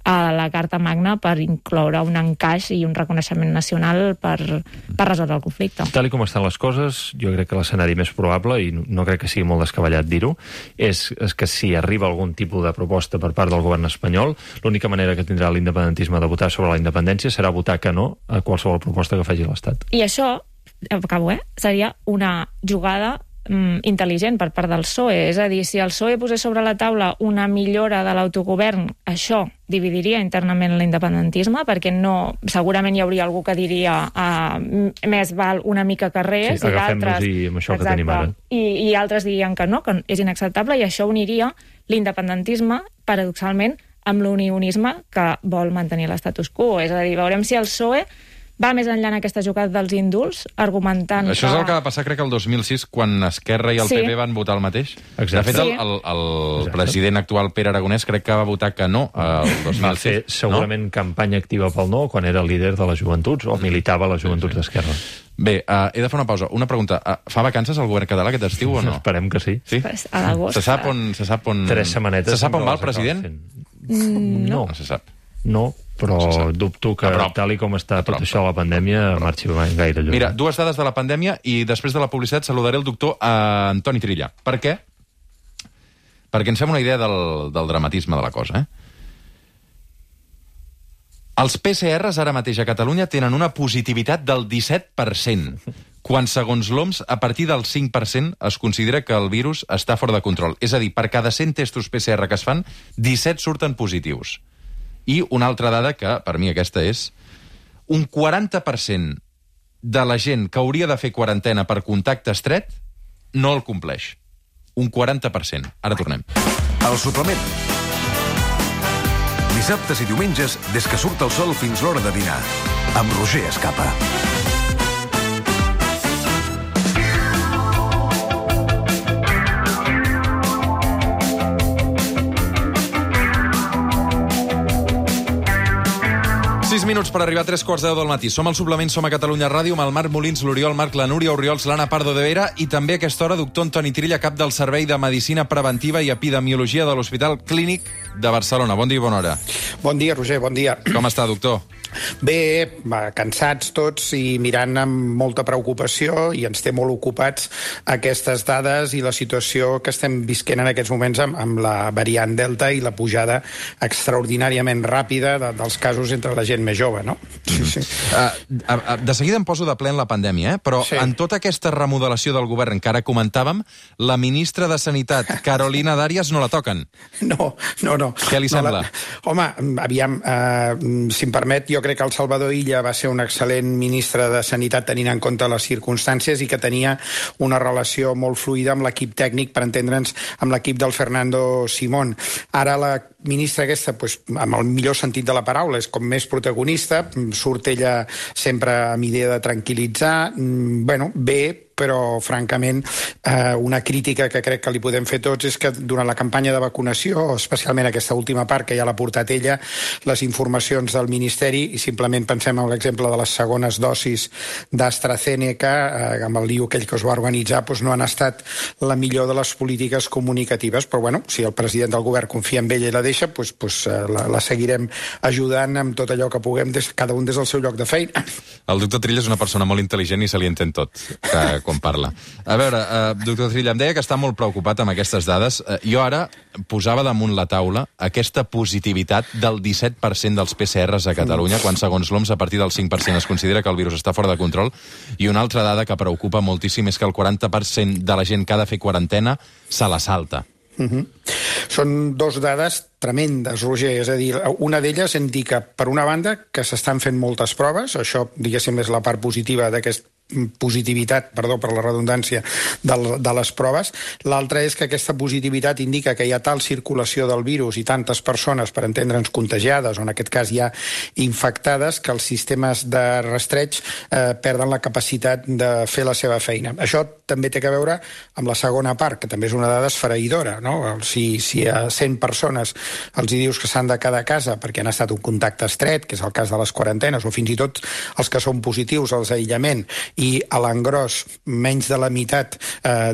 a la Carta Magna per incloure un encaix i un reconeixement nacional per resoldre el conflicte. Tal com estan les coses, jo crec que l'escenari més probable, i no crec que sigui molt descabellat dir-ho, és que si arriba algun tipus de proposta per part del govern espanyol, l'única manera que tindrà l'independentisme de votar sobre la independència serà votar que no a qualsevol proposta que faci l'Estat. I això, acabo, seria una jugada intel·ligent per part del PSOE. És a dir, si el PSOE posés sobre la taula una millora de l'autogovern, això dividiria internament l'independentisme, perquè segurament hi hauria algú que diria més val una mica que res, i d'altres... Sí, amb això que tenim ara. I altres dirien que no, que és inacceptable, i això uniria l'independentisme, paradoxalment, amb l'unionisme que vol mantenir l'estatus quo. És a dir, veurem si el PSOE va més enllà en aquesta jugada dels indults, argumentant Això és el que va passar, crec, el 2006, quan Esquerra i el PP van votar el mateix. Exacte. De fet, el president actual, Pere Aragonès, crec que va votar que no el 2006. Va fer segurament campanya activa pel no quan era líder de les joventuts, o militava a les joventuts d'Esquerra. Bé, he de fer una pausa. Una pregunta. Fa vacances el govern català aquest estiu o no? Esperem que sí. Pues a l'agost. Se sap on... 3 setmanetes. Se sap on va el president? No. No se sap. No, però dubto que, tal com està tot això de la pandèmia, marxi gaire lluny. Mira, 2 dades de la pandèmia i després de la publicitat saludaré el doctor Antoni Trilla. Per què? Perquè ens fem una idea del dramatisme de la cosa, Els PCRs ara mateix a Catalunya tenen una positivitat del 17%, quan, segons l'OMS, a partir del 5% es considera que el virus està fora de control. És a dir, per cada 100 testos PCR que es fan, 17 surten positius. I una altra dada que, per mi, aquesta és un 40% de la gent que hauria de fer quarantena per contacte estret no el compleix. Un 40%. Ara tornem. El suplement. Dissabtes i diumenges, des que surt el sol fins l'hora de dinar. Amb Roger Escapa. Minuts per arribar a 3:15 del matí. Som al suplement, som a Catalunya Ràdio, amb el Marc Molins, l'Oriol Marc, la Núria Oriols, l'Anna Pardo de Vera i també a aquesta hora doctor Antoni Trilla, cap del Servei de Medicina Preventiva i Epidemiologia de l'Hospital Clínic de Barcelona. Bon dia i bona hora. Bon dia, Roger, bon dia. Com està, doctor? Bé, cansats tots i mirant amb molta preocupació, i ens té molt ocupats aquestes dades i la situació que estem visquent en aquests moments amb la variant Delta i la pujada extraordinàriament ràpida dels casos entre la gent més jove, no? Sí. De seguida em poso de ple en la pandèmia, però en tota aquesta remodelació del govern que ara comentàvem, la ministra de Sanitat, Carolina Darias, no la toquen. No. Què li sembla? Home, aviam, si em permet, jo crec que el Salvador Illa va ser un excel·lent ministre de Sanitat tenint en compte les circumstàncies i que tenia una relació molt fluida amb l'equip tècnic, per entendre'ns, amb l'equip del Fernando Simón. Ara la ministra aquesta, amb el millor sentit de la paraula, és com més protagonista, surt ella sempre amb idea de tranquil·litzar, bé, però, francament, una crítica que crec que li podem fer tots és que durant la campanya de vacunació, especialment aquesta última part que ja l'ha portat ella, les informacions del Ministeri, i simplement pensem en l'exemple de les segones dosis d'AstraZeneca, amb el lío aquell que es va organitzar, no han estat la millor de les polítiques comunicatives, però, si el president del govern confia en ella i la deixa, la seguirem ajudant amb tot allò que puguem, cada un des del seu lloc de feina. El doctor Trilla és una persona molt intel·ligent i se li entén tot, quan parla. A veure, doctor Trilla, em deia que està molt preocupat amb aquestes dades. Jo ara posava damunt la taula aquesta positivitat del 17% dels PCRs a Catalunya, quan, segons l'OMS, a partir del 5% es considera que el virus està fora de control. I una altra dada que preocupa moltíssim és que el 40% de la gent que ha de fer quarantena se la salta. Són 2 dades tremendes, Roger. És a dir, una d'elles indica, per una banda, que s'estan fent moltes proves. Això, diguéssim, és la part positiva d'aquest positivitat, perdó per la redundància, de les proves. L'altra és que aquesta positivitat indica que hi ha tal circulació del virus i tantes persones, per entendre'ns, contagiades, o en aquest cas ja infectades, que els sistemes de rastreig perden la capacitat de fer la seva feina. Això també té a veure amb la segona part, que també és una dada esfereïdora, no? Si a 100 persones els hi dius que s'han de quedar a casa perquè han estat un contacte estret, que és el cas de les quarantenes, o fins i tot els que són positius als aïllament, i a l'engròs menys de la meitat,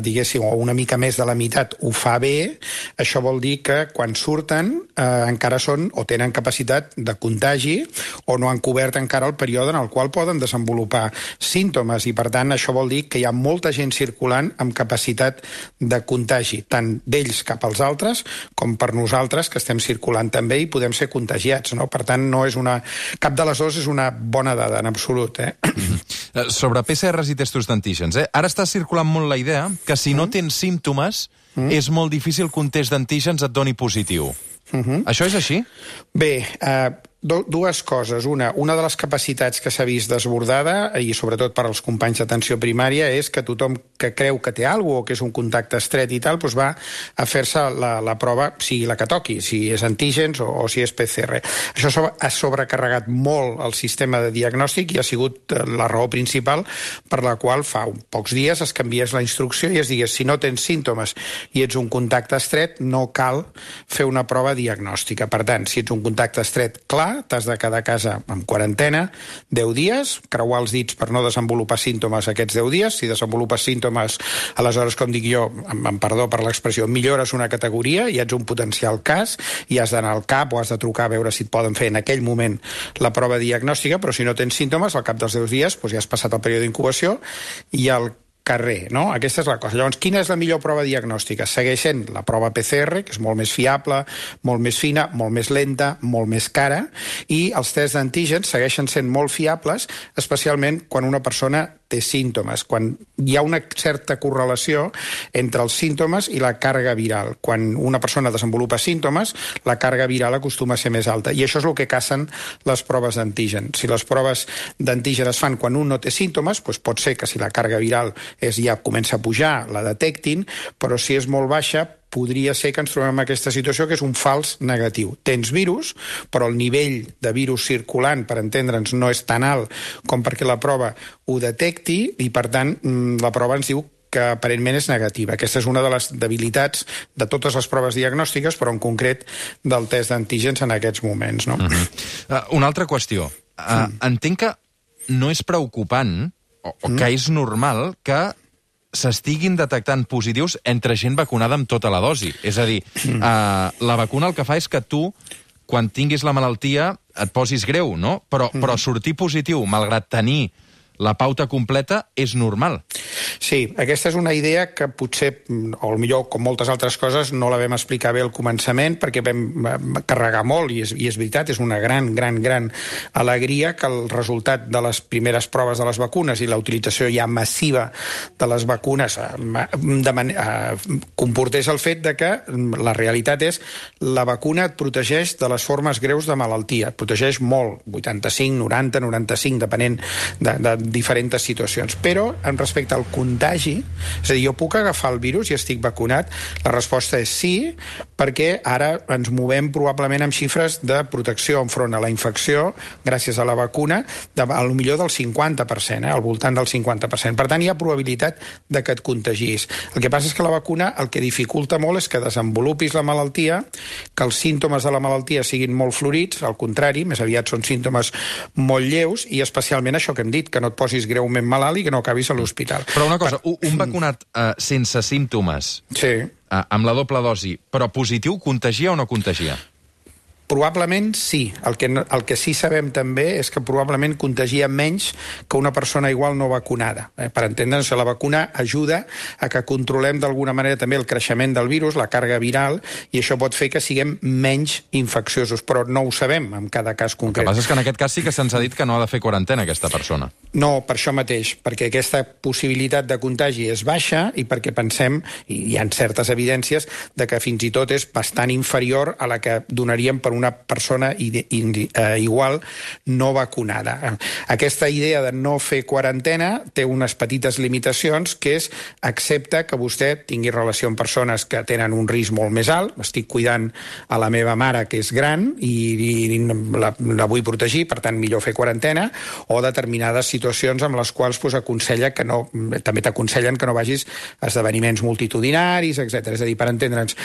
diguéssim, o una mica més de la meitat ho fa bé, això vol dir que quan surten encara són o tenen capacitat de contagi o no han cobert encara el període en el qual poden desenvolupar símptomes, i per tant això vol dir que hi ha molta gent circulant amb capacitat de contagi, tant d'ells cap als altres com per nosaltres que estem circulant també i podem ser contagiats, no? Per tant, no és cap de les dues és una bona dada en absolut. Sobre PCRs i testos d'antígens, ara està circulant molt la idea que si no tens símptomes és molt difícil que un test d'antígens et doni positiu. Això és així? Bé, dues coses. Una de les capacitats que s'ha vist desbordada, i sobretot per als companys d'atenció primària, és que tothom que creu que té alguna cosa o que és un contacte estret i tal, doncs va a fer-se la prova, sigui la que toqui, si és antígens o si és PCR. Això ha sobrecarregat molt el sistema de diagnòstic i ha sigut la raó principal per la qual fa pocs dies es canviés la instrucció i es digués si no tens símptomes i ets un contacte estret, no cal fer una prova diagnòstica. Per tant, si ets un contacte estret clar, t'has de quedar a casa en quarantena 10 dies, creuar els dits per no desenvolupar símptomes aquests 10 dies. Si desenvolupes símptomes, aleshores, com dic jo, amb perdó per l'expressió, millores una categoria i ets un potencial cas i has d'anar al CAP o has de trucar a veure si et poden fer en aquell moment la prova diagnòstica, però si no tens símptomes, al cap dels 10 dies ja has passat el període d'incubació i al carrer, no? Aquesta és la cosa. Llavors, quina és la millor prova diagnòstica? Segueix sent la prova PCR, que és molt més fiable, molt més fina, molt més lenta, molt més cara, i els tests d'antígens segueixen sent molt fiables, especialment quan una persona té símptomes, quan hi ha una certa correlació entre els símptomes i la càrrega viral. Quan una persona desenvolupa símptomes, la càrrega viral acostuma a ser més alta, i això és el que cacen les proves d'antígen. Si les proves d'antígen es fan quan un no té símptomes, doncs pot ser que si la càrrega viral ja comença a pujar, la detectin, però si és molt baixa, podria ser que ens trobem en aquesta situació que és un fals negatiu. Tens virus, però el nivell de virus circulant, per entendre'ns, no és tan alt com perquè la prova ho detecti i, per tant, la prova ens diu que aparentment és negativa. Aquesta és una de les debilitats de totes les proves diagnòstiques, però en concret del test d'antígens en aquests moments. No? Una altra qüestió. Entenc que no és preocupant o que és normal que s'estiguin detectant positius entre gent vacunada amb tota la dosi. És a dir, la vacuna el que fa és que tu, quan tinguis la malaltia, et posis greu, no? Però sortir positiu, malgrat tenir la pauta completa, és normal. Sí, aquesta és una idea que potser, o millor, com moltes altres coses, no la vam explicar bé al començament perquè vam carregar molt, i és veritat, és una gran alegria que el resultat de les primeres proves de les vacunes i la utilització ja massiva de les vacunes comportés el fet de que la realitat és la vacuna et protegeix de les formes greus de malaltia, et protegeix molt, 85, 90, 95, depenent de diferents situacions. Però, en respecte al contagi, és a dir, jo puc agafar el virus i estic vacunat? La resposta és sí, perquè ara ens movem probablement amb xifres de protecció enfront a la infecció, gràcies a la vacuna, a lo millor del 50%, al voltant del 50%. Per tant, hi ha probabilitat de que et contagis. El que passa és que la vacuna el que dificulta molt és que desenvolupis la malaltia, que els símptomes de la malaltia siguin molt florits, al contrari, més aviat són símptomes molt lleus, i especialment això que hem dit, que no et posis greument malalt i que no acabis a l'hospital. Però una cosa, un vacunat sense símptomes, amb la doble dosi, però positiu, contagia o no contagia? Probablement sí. El que sí sabem també és que probablement contagia menys que una persona igual no vacunada. Per entendre'ns, la vacuna ajuda a que controlem d'alguna manera també el creixement del virus, la càrrega viral, i això pot fer que siguem menys infecciosos, però no ho sabem en cada cas concret. El que passa és que en aquest cas sí que se'ns ha dit que no ha de fer quarantena aquesta persona. No, per això mateix, perquè aquesta possibilitat de contagi és baixa i perquè pensem, i hi ha certes evidències, de que fins i tot és bastant inferior a la que donaríem per una persona igual no vacunada. Aquesta idea de no fer quarantena té unes petites limitacions, que és accepta que vostè tingui relació amb persones que tenen un risc molt més alt. Estic cuidant a la meva mare, que és gran, i la vull protegir, per tant, millor fer quarantena, o determinades situacions amb les quals aconsella que no, també t'aconsellen que no vagis a esdeveniments multitudinaris, etc. És a dir, per entendre'ns,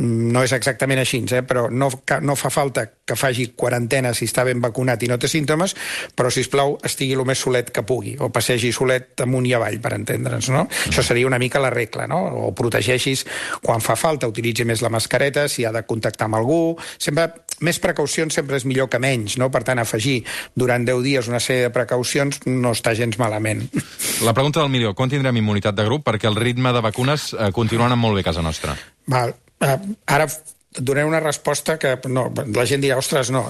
no és exactament així, però no no fa falta que faci quarantena si està ben vacunat i no té símptomes, però, sisplau, estigui el més solet que pugui, o passegi solet amunt i avall, per entendre'ns, no? Això seria una mica la regla, no? O protegeixis quan fa falta, utilitzi més la mascareta, si ha de contactar amb algú... Sempre, més precaucions sempre és millor que menys, no? Per tant, afegir durant 10 dies una sèrie de precaucions no està gens malament. La pregunta del milió, quan tindrem immunitat de grup? Perquè el ritme de vacunes continua anant molt bé a casa nostra. Val. Ara donaré una resposta que la gent dirà, ostres, no...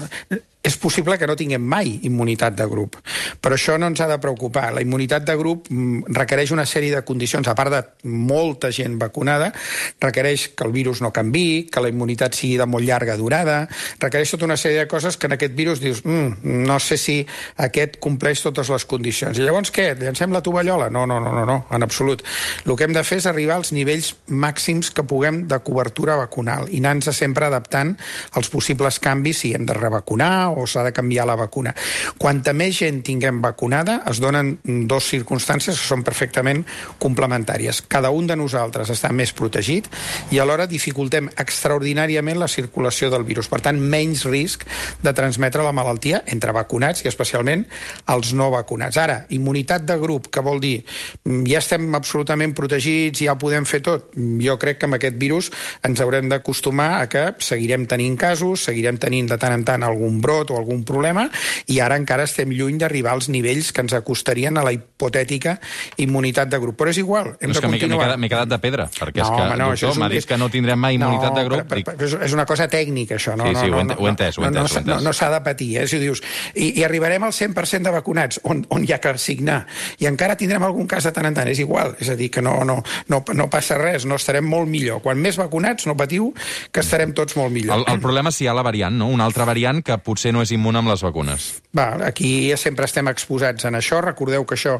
És possible que no tinguem mai immunitat de grup, però això no ens ha de preocupar. La immunitat de grup requereix una sèrie de condicions, a part de molta gent vacunada, requereix que el virus no canviï, que la immunitat sigui de molt llarga durada, requereix tota una sèrie de coses que en aquest virus dius, no sé si aquest compleix totes les condicions. I llavors què? Llancem la tovallola? No, en absolut. El que hem de fer és arribar als nivells màxims que puguem de cobertura vacunal i anar-nos sempre adaptant als possibles canvis si hem de revacunar o s'ha de canviar la vacuna. Quanta més gent tinguem vacunada, es donen dues circumstàncies que són perfectament complementàries. Cada un de nosaltres està més protegit i alhora dificultem extraordinàriament la circulació del virus. Per tant, menys risc de transmetre la malaltia entre vacunats i especialment els no vacunats. Ara, immunitat de grup, que vol dir ja estem absolutament protegits, ja podem fer tot. Jo crec que amb aquest virus ens haurem d'acostumar a que seguirem tenint casos, seguirem tenint de tant en tant algun brot o algun problema, i ara encara estem lluny d'arribar als nivells que ens acostarien a la hipotètica immunitat de grup. Però és igual, hem de continuar. M'he quedat de pedra, perquè és que el doctor m'ha dit que no tindrem mai immunitat de grup. És una cosa tècnica, això. Sí, ho he entès. No s'ha de patir, si dius, i arribarem al 100% de vacunats, on hi ha que signar, i encara tindrem algun cas de tant en tant, és igual, és a dir, que no passa res, no estarem molt millor. Quan més vacunats, no patiu, que estarem tots molt millor. El problema és si hi ha la variant, no? Una altra variant que potser no és immune amb les vacunes. Aquí sempre estem exposats en això. Recordeu que això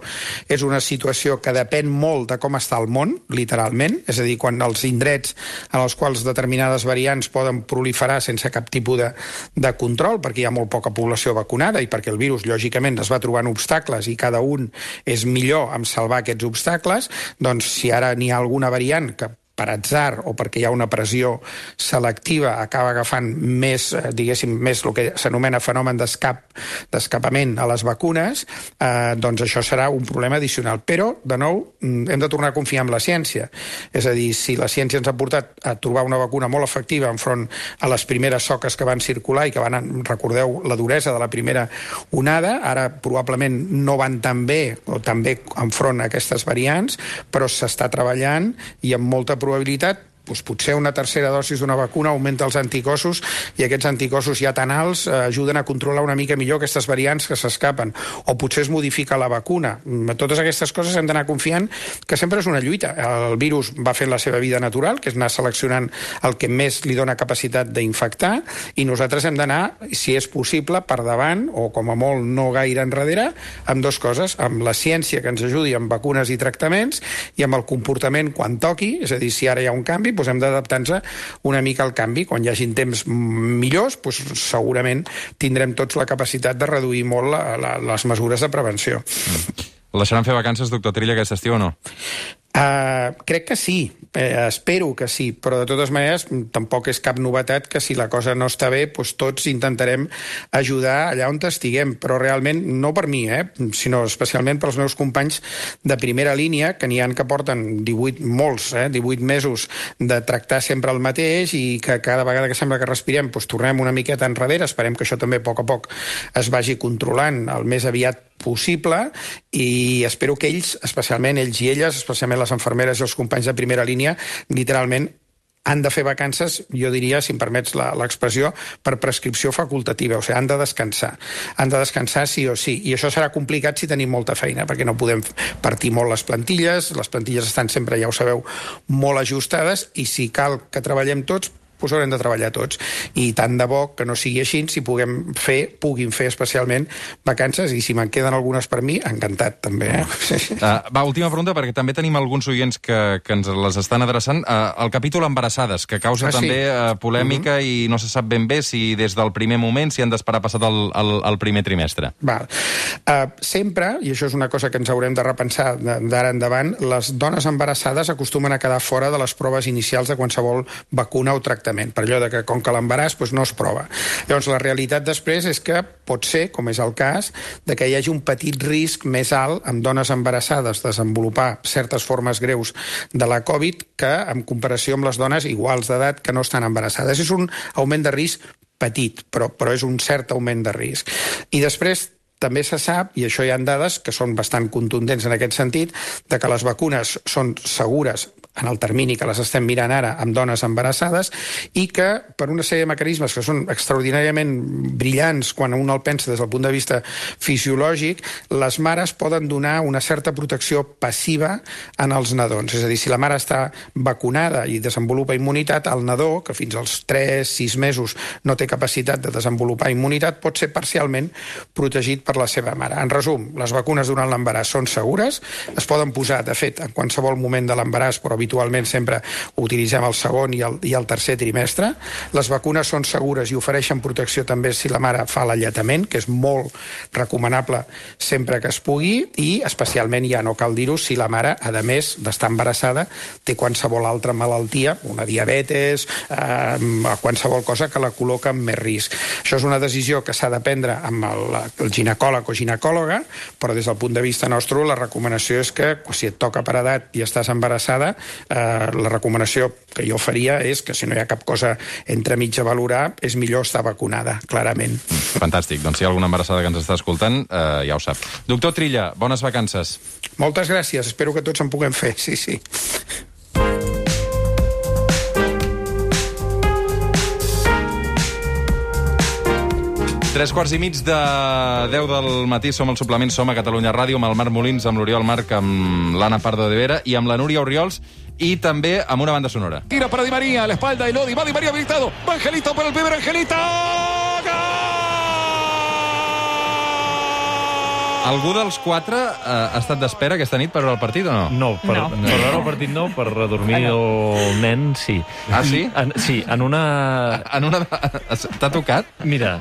és una situació que depèn molt de com està el món, literalment, és a dir, quan els indrets en els quals determinades variants poden proliferar sense cap tipus de control, perquè hi ha molt poca població vacunada i perquè el virus, lògicament, es va trobant obstacles i cada un és millor en salvar aquests obstacles, doncs si ara n'hi ha alguna variant que per atzar o perquè hi ha una pressió selectiva acaba agafant més, diguéssim, més el que s'anomena fenomen d'escapament a les vacunes, doncs això serà un problema addicional. Però, de nou, hem de tornar a confiar en la ciència. És a dir, si la ciència ens ha portat a trobar una vacuna molt efectiva enfront a les primeres soques que van circular i que van, recordeu, la duresa de la primera onada, ara probablement no van tan bé o tan bé enfront a aquestes variants, però s'està treballant i amb molta probabilitat potser una tercera dosi d'una vacuna augmenta els anticossos i aquests anticossos ja tan alts ajuden a controlar una mica millor aquestes variants que s'escapen. O potser es modifica la vacuna. Totes aquestes coses hem d'anar confiant que sempre és una lluita. El virus va fent la seva vida natural, que és anar seleccionant el que més li dona capacitat d'infectar, i nosaltres hem d'anar, si és possible, per davant, o com a molt no gaire enrere, amb dues coses, amb la ciència que ens ajudi amb vacunes i tractaments i amb el comportament quan toqui, és a dir, si ara hi ha un canvi, doncs hem d'adaptar-nos una mica al canvi. Quan hi hagin temps millors, doncs segurament tindrem tots la capacitat de reduir molt les mesures de prevenció. El deixaran fer vacances, doctor Trilla, aquest estiu o no? Crec que sí, espero que sí, però de totes maneres tampoc és cap novetat que si la cosa no està bé, doncs tots intentarem ajudar allà on estiguem, però realment no per mi, sinó especialment pels meus companys de primera línia, que n'hi ha que porten 18 mesos de tractar sempre el mateix i que cada vegada que sembla que respirem doncs tornem una miqueta enrere. Esperem que això també a poc es vagi controlant el més aviat possible i espero que ells, especialment ells i elles, especialment les infermeres i els companys de primera línia, literalment han de fer vacances, jo diria, si em permets l'expressió, per prescripció facultativa, o sigui, han de descansar sí o sí, i això serà complicat si tenim molta feina, perquè no podem partir molt les plantilles estan sempre, ja ho sabeu, molt ajustades, i si cal que treballem tots, doncs haurem de treballar tots. I tant de bo que no sigui així, si puguin fer especialment vacances, i si me'n queden algunes per mi, encantat, també. Última pregunta, perquè també tenim alguns oients que ens les estan adreçant. El capítol embarassades, que causa també polèmica i no se sap ben bé si des del primer moment, si han d'esperar passat el primer trimestre. Sempre, i això és una cosa que ens haurem de repensar d'ara endavant, les dones embarassades acostumen a quedar fora de les proves inicials de qualsevol vacuna o tractament. directament, per allò de que com que l'embaràs no es prova. Llavors, la realitat després és que pot ser, com és el cas, de que hi hagi un petit risc més alt amb dones embarassades desenvolupar certes formes greus de la Covid que en comparació amb les dones iguals d'edat que no estan embarassades. És un augment de risc petit, però és un cert augment de risc. I després també se sap, i això hi ha dades que són bastant contundents en aquest sentit, de que les vacunes són segures en el termini que les estem mirant ara amb dones embarassades i que per una sèrie de mecanismes que són extraordinàriament brillants quan un el pensa des del punt de vista fisiològic, les mares poden donar una certa protecció passiva en els nadons. És a dir, si la mare està vacunada i desenvolupa immunitat, el nadó, que fins als 3-6 mesos no té capacitat de desenvolupar immunitat, pot ser parcialment protegit per la seva mare. En resum, les vacunes durant l'embaràs són segures, es poden posar, de fet, en qualsevol moment de l'embaràs, però habitualment sempre utilitzem el segon i el tercer trimestre. Les vacunes són segures i ofereixen protecció també si la mare fa l'alletament, que és molt recomanable sempre que es pugui, i especialment, ja no cal dir-ho, si la mare, a més d'estar embarassada, té qualsevol altra malaltia, una diabetes, qualsevol cosa que la col·loca en més risc. Això és una decisió que s'ha de prendre amb el ginecòleg o ginecòloga, però des del punt de vista nostre la recomanació és que si et toca per edat i estàs embarassada, la recomanació que jo faria és que si no hi ha cap cosa entremig a valorar, és millor estar vacunada, clarament. Fantàstic. Doncs si hi ha alguna embarassada que ens està escoltant, ja ho sap. Doctor Trilla, bones vacances. Moltes gràcies. Espero que tots en puguem fer. Sí, sí. 3:15 de 10 del matí, som al suplement, som a Catalunya Ràdio, amb el Marc Molins, amb l'Oriol Marc, amb l'Anna Pardo de Vera i amb la Núria Orriols, i també amb una banda sonora. Tira para Di María, a la espalda de Lodi, va Di María habilitado, va Angelito por el primer, Angelito, ¡gol! Algú dels quatre ha estat d'espera aquesta nit per veure el partit o no? No, per veure el partit no, per redormir el nen, sí. Ah, sí? Sí, en una... T'ha tocat? Mira,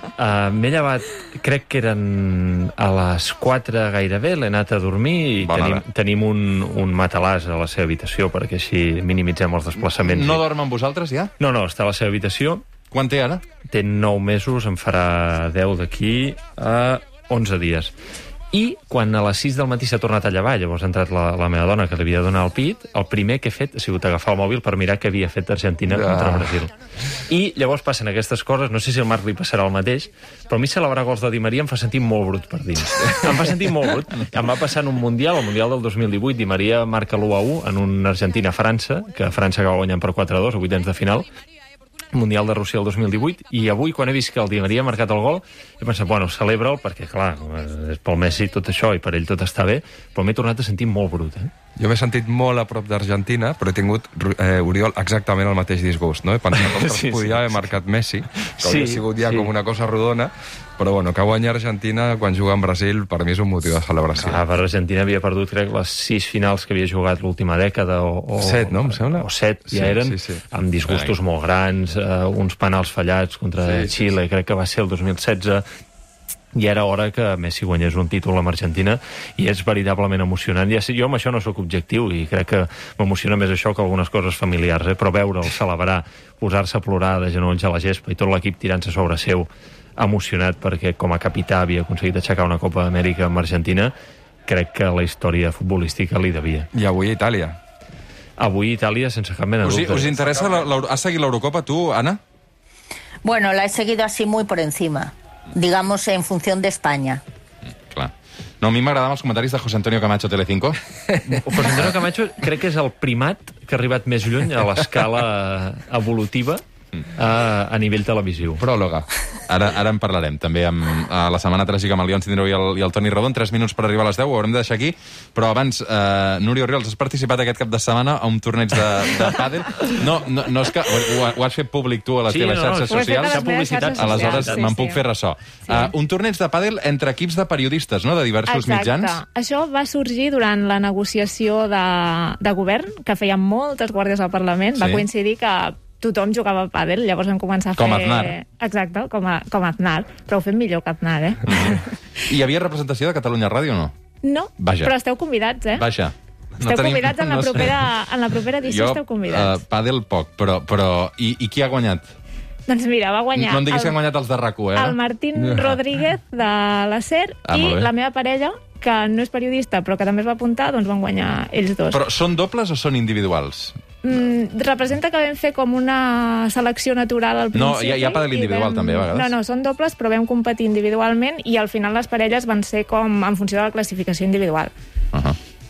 m'he llevat, crec que eren a les 4 gairebé, l'he anat a dormir i tenim un matalàs a la seva habitació, perquè així minimitzem els desplaçaments. No dorm amb vosaltres, ja? No, està a la seva habitació. Quan té ara? Té 9 mesos, en farà 10 d'aquí a 11 dies. I quan a les 6 del matí s'ha tornat a llevar, llavors ha entrat la meva dona que li havia de donar el pit, el primer que he fet ha sigut agafar el mòbil per mirar què havia fet Argentina contra Brasil. I llavors passen aquestes coses, no sé si al Marc li passarà el mateix, però a mi celebrar gols de Di Maria em fa sentir molt brut per dins. Em fa sentir molt brut. Em va passar en un Mundial, el Mundial del 2018, Di Maria marca l'1-1 en un Argentina-França, que França acaba guanyant per 4-2 a vuitens de final, Mundial de Rússia el 2018, i avui, quan he vist que el Di Maria ha marcat el gol, he pensat, bueno, celebra'l, perquè, clar, és pel Messi tot això, i per ell tot està bé, però m'he tornat a sentir molt brut, Jo m'he sentit molt a prop d'Argentina, però he tingut, Oriol, exactament el mateix disgust, no? He pensat que podia haver marcat Messi, que hauria sigut ja com una cosa rodona, però bueno, que guanya Argentina quan juga en Brasil, per mi és un motiu de celebració. Per Argentina havia perdut, crec, les 6 finals que havia jugat l'última dècada, o 7, no? Em sembla? O 7, ja eren, amb disgustos molt grans, uns penals fallats contra Xile, crec que va ser el 2016, i era hora que Messi guanyés un títol amb Argentina, i és veritablement emocionant. Jo amb això no sóc objectiu, i crec que m'emociona més això que algunes coses familiars, però veure'l celebrar, posar-se a plorar de genolls a la gespa i tot l'equip tirant-se sobre seu, emocionat perquè com a capità havia aconseguit aixecar una Copa d'Amèrica amb Argentina, crec que la història futbolística li devia. I avui Itàlia. Avui Itàlia, sense cap mena de dubte. Us interessa? Has seguit l'Eurocopa, tu, Anna? Bueno, la he seguido así muy por encima, digamos en función de España. Clar. No, a mi m'agradaven els comentaris de José Antonio Camacho, Telecinco. José Antonio Camacho crec que és el primat que ha arribat més lluny a l'escala evolutiva a nivell televisiu. Pròloga. Ara en parlarem, també amb la setmana tràgica amb el León Cindró i el Toni Rodon. 3 minuts per arribar a les 10, ho haurem de deixar aquí. Però abans, Núria Orriols, has participat aquest cap de setmana a un torneig de pàdel. No és que ho has fet públic tu a les teves xarxes socials. Aleshores me'n puc fer ressò. Un torneig de pàdel entre equips de periodistes, no?, de diversos mitjans. Exacte. Això va sorgir durant la negociació de govern, que feien moltes guàrdies al Parlament. Va coincidir que tothom jugava a pàdel, llavors vam començar a fer... Com Aznar. Exacte, com Aznar, però ho fem millor que Aznar, Hi havia representació de Catalunya Ràdio o no? No, però esteu convidats, Vaja. Esteu convidats en la propera edició, esteu convidats. Pàdel poc, però... I qui ha guanyat? Doncs mira, va guanyar... No em diguis que han guanyat els de RAC1, el Martín Rodríguez de la SER i la meva parella, que no és periodista, però que també es va apuntar, doncs van guanyar ells dos. Però són dobles o són individuals? Representa que vam fer com una selecció natural al principi. No, hi ha pàdel individual també, a vegades. No, són dobles, però vam competir individualment i al final les parelles van ser com en funció de la classificació individual.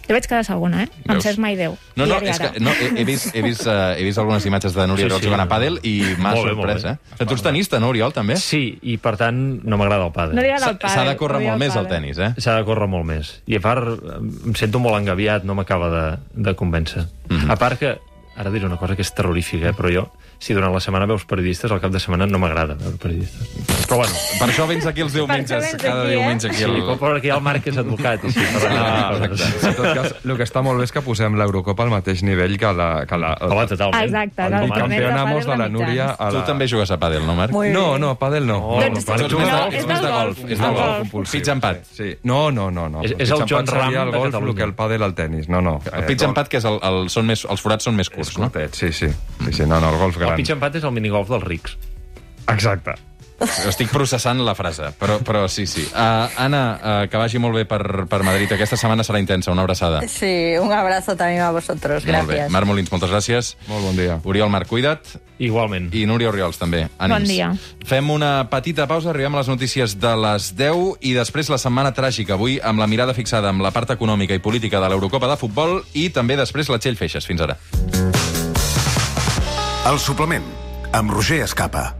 Jo vaig quedar segona, Em saps mai Déu. No, és que he vist algunes imatges de Núria Oriol jugant a pàdel i m'ha sorprès, Tu ets tenista, no, Oriol, també? Sí, i per tant no m'agrada el pàdel. No li agrada el pàdel. S'ha de córrer molt més el tenis, S'ha de córrer molt més. I a part, em sento molt engaviat, no m'acaba de convèncer. A part que, ara diré una cosa que és terrorífica, però jo, si durant la setmana veus periodistes, al cap de setmana no m'agrada veure periodistes. Però bueno, per això vens aquí els diumenges, cada diumenge aquí. Sí, perquè hi ha el Marc que és advocat. I sí, en tot cas, el que està molt bé és que posem l'Eurocopa al mateix nivell que la... Home, totalment. Exacte. El campeonamos de la Núria... Tu també jugues a pàdel, no, Marc? No, pàdel no. És de golf. És de golf. Pitch empat. No. És el John Ram de golf, Catalunya. el que el pàdel al tenis. No. El pitch empat, que els forats són més curts, no? Sí. No, el golf gran. El pitch empat és el minigolf dels rics. Exacte. Estic processant la frase, però sí. Anna, que vagi molt bé per Madrid. Aquesta setmana serà intensa, una abraçada. Sí, un abrazo también a vosotros, gracias. Molt bé. Marc Molins, moltes gràcies. Molt bon dia. Oriol Marc, cuida't. Igualment. I Núria Oriols, també. Ànims. Bon dia. Fem una petita pausa, arribem a les notícies de les 10 i després la setmana tràgica, avui amb la mirada fixada amb la part econòmica i política de l'Eurocopa de futbol i també després la Txell Feixes. Fins ara. El suplement, amb Roger Escapa.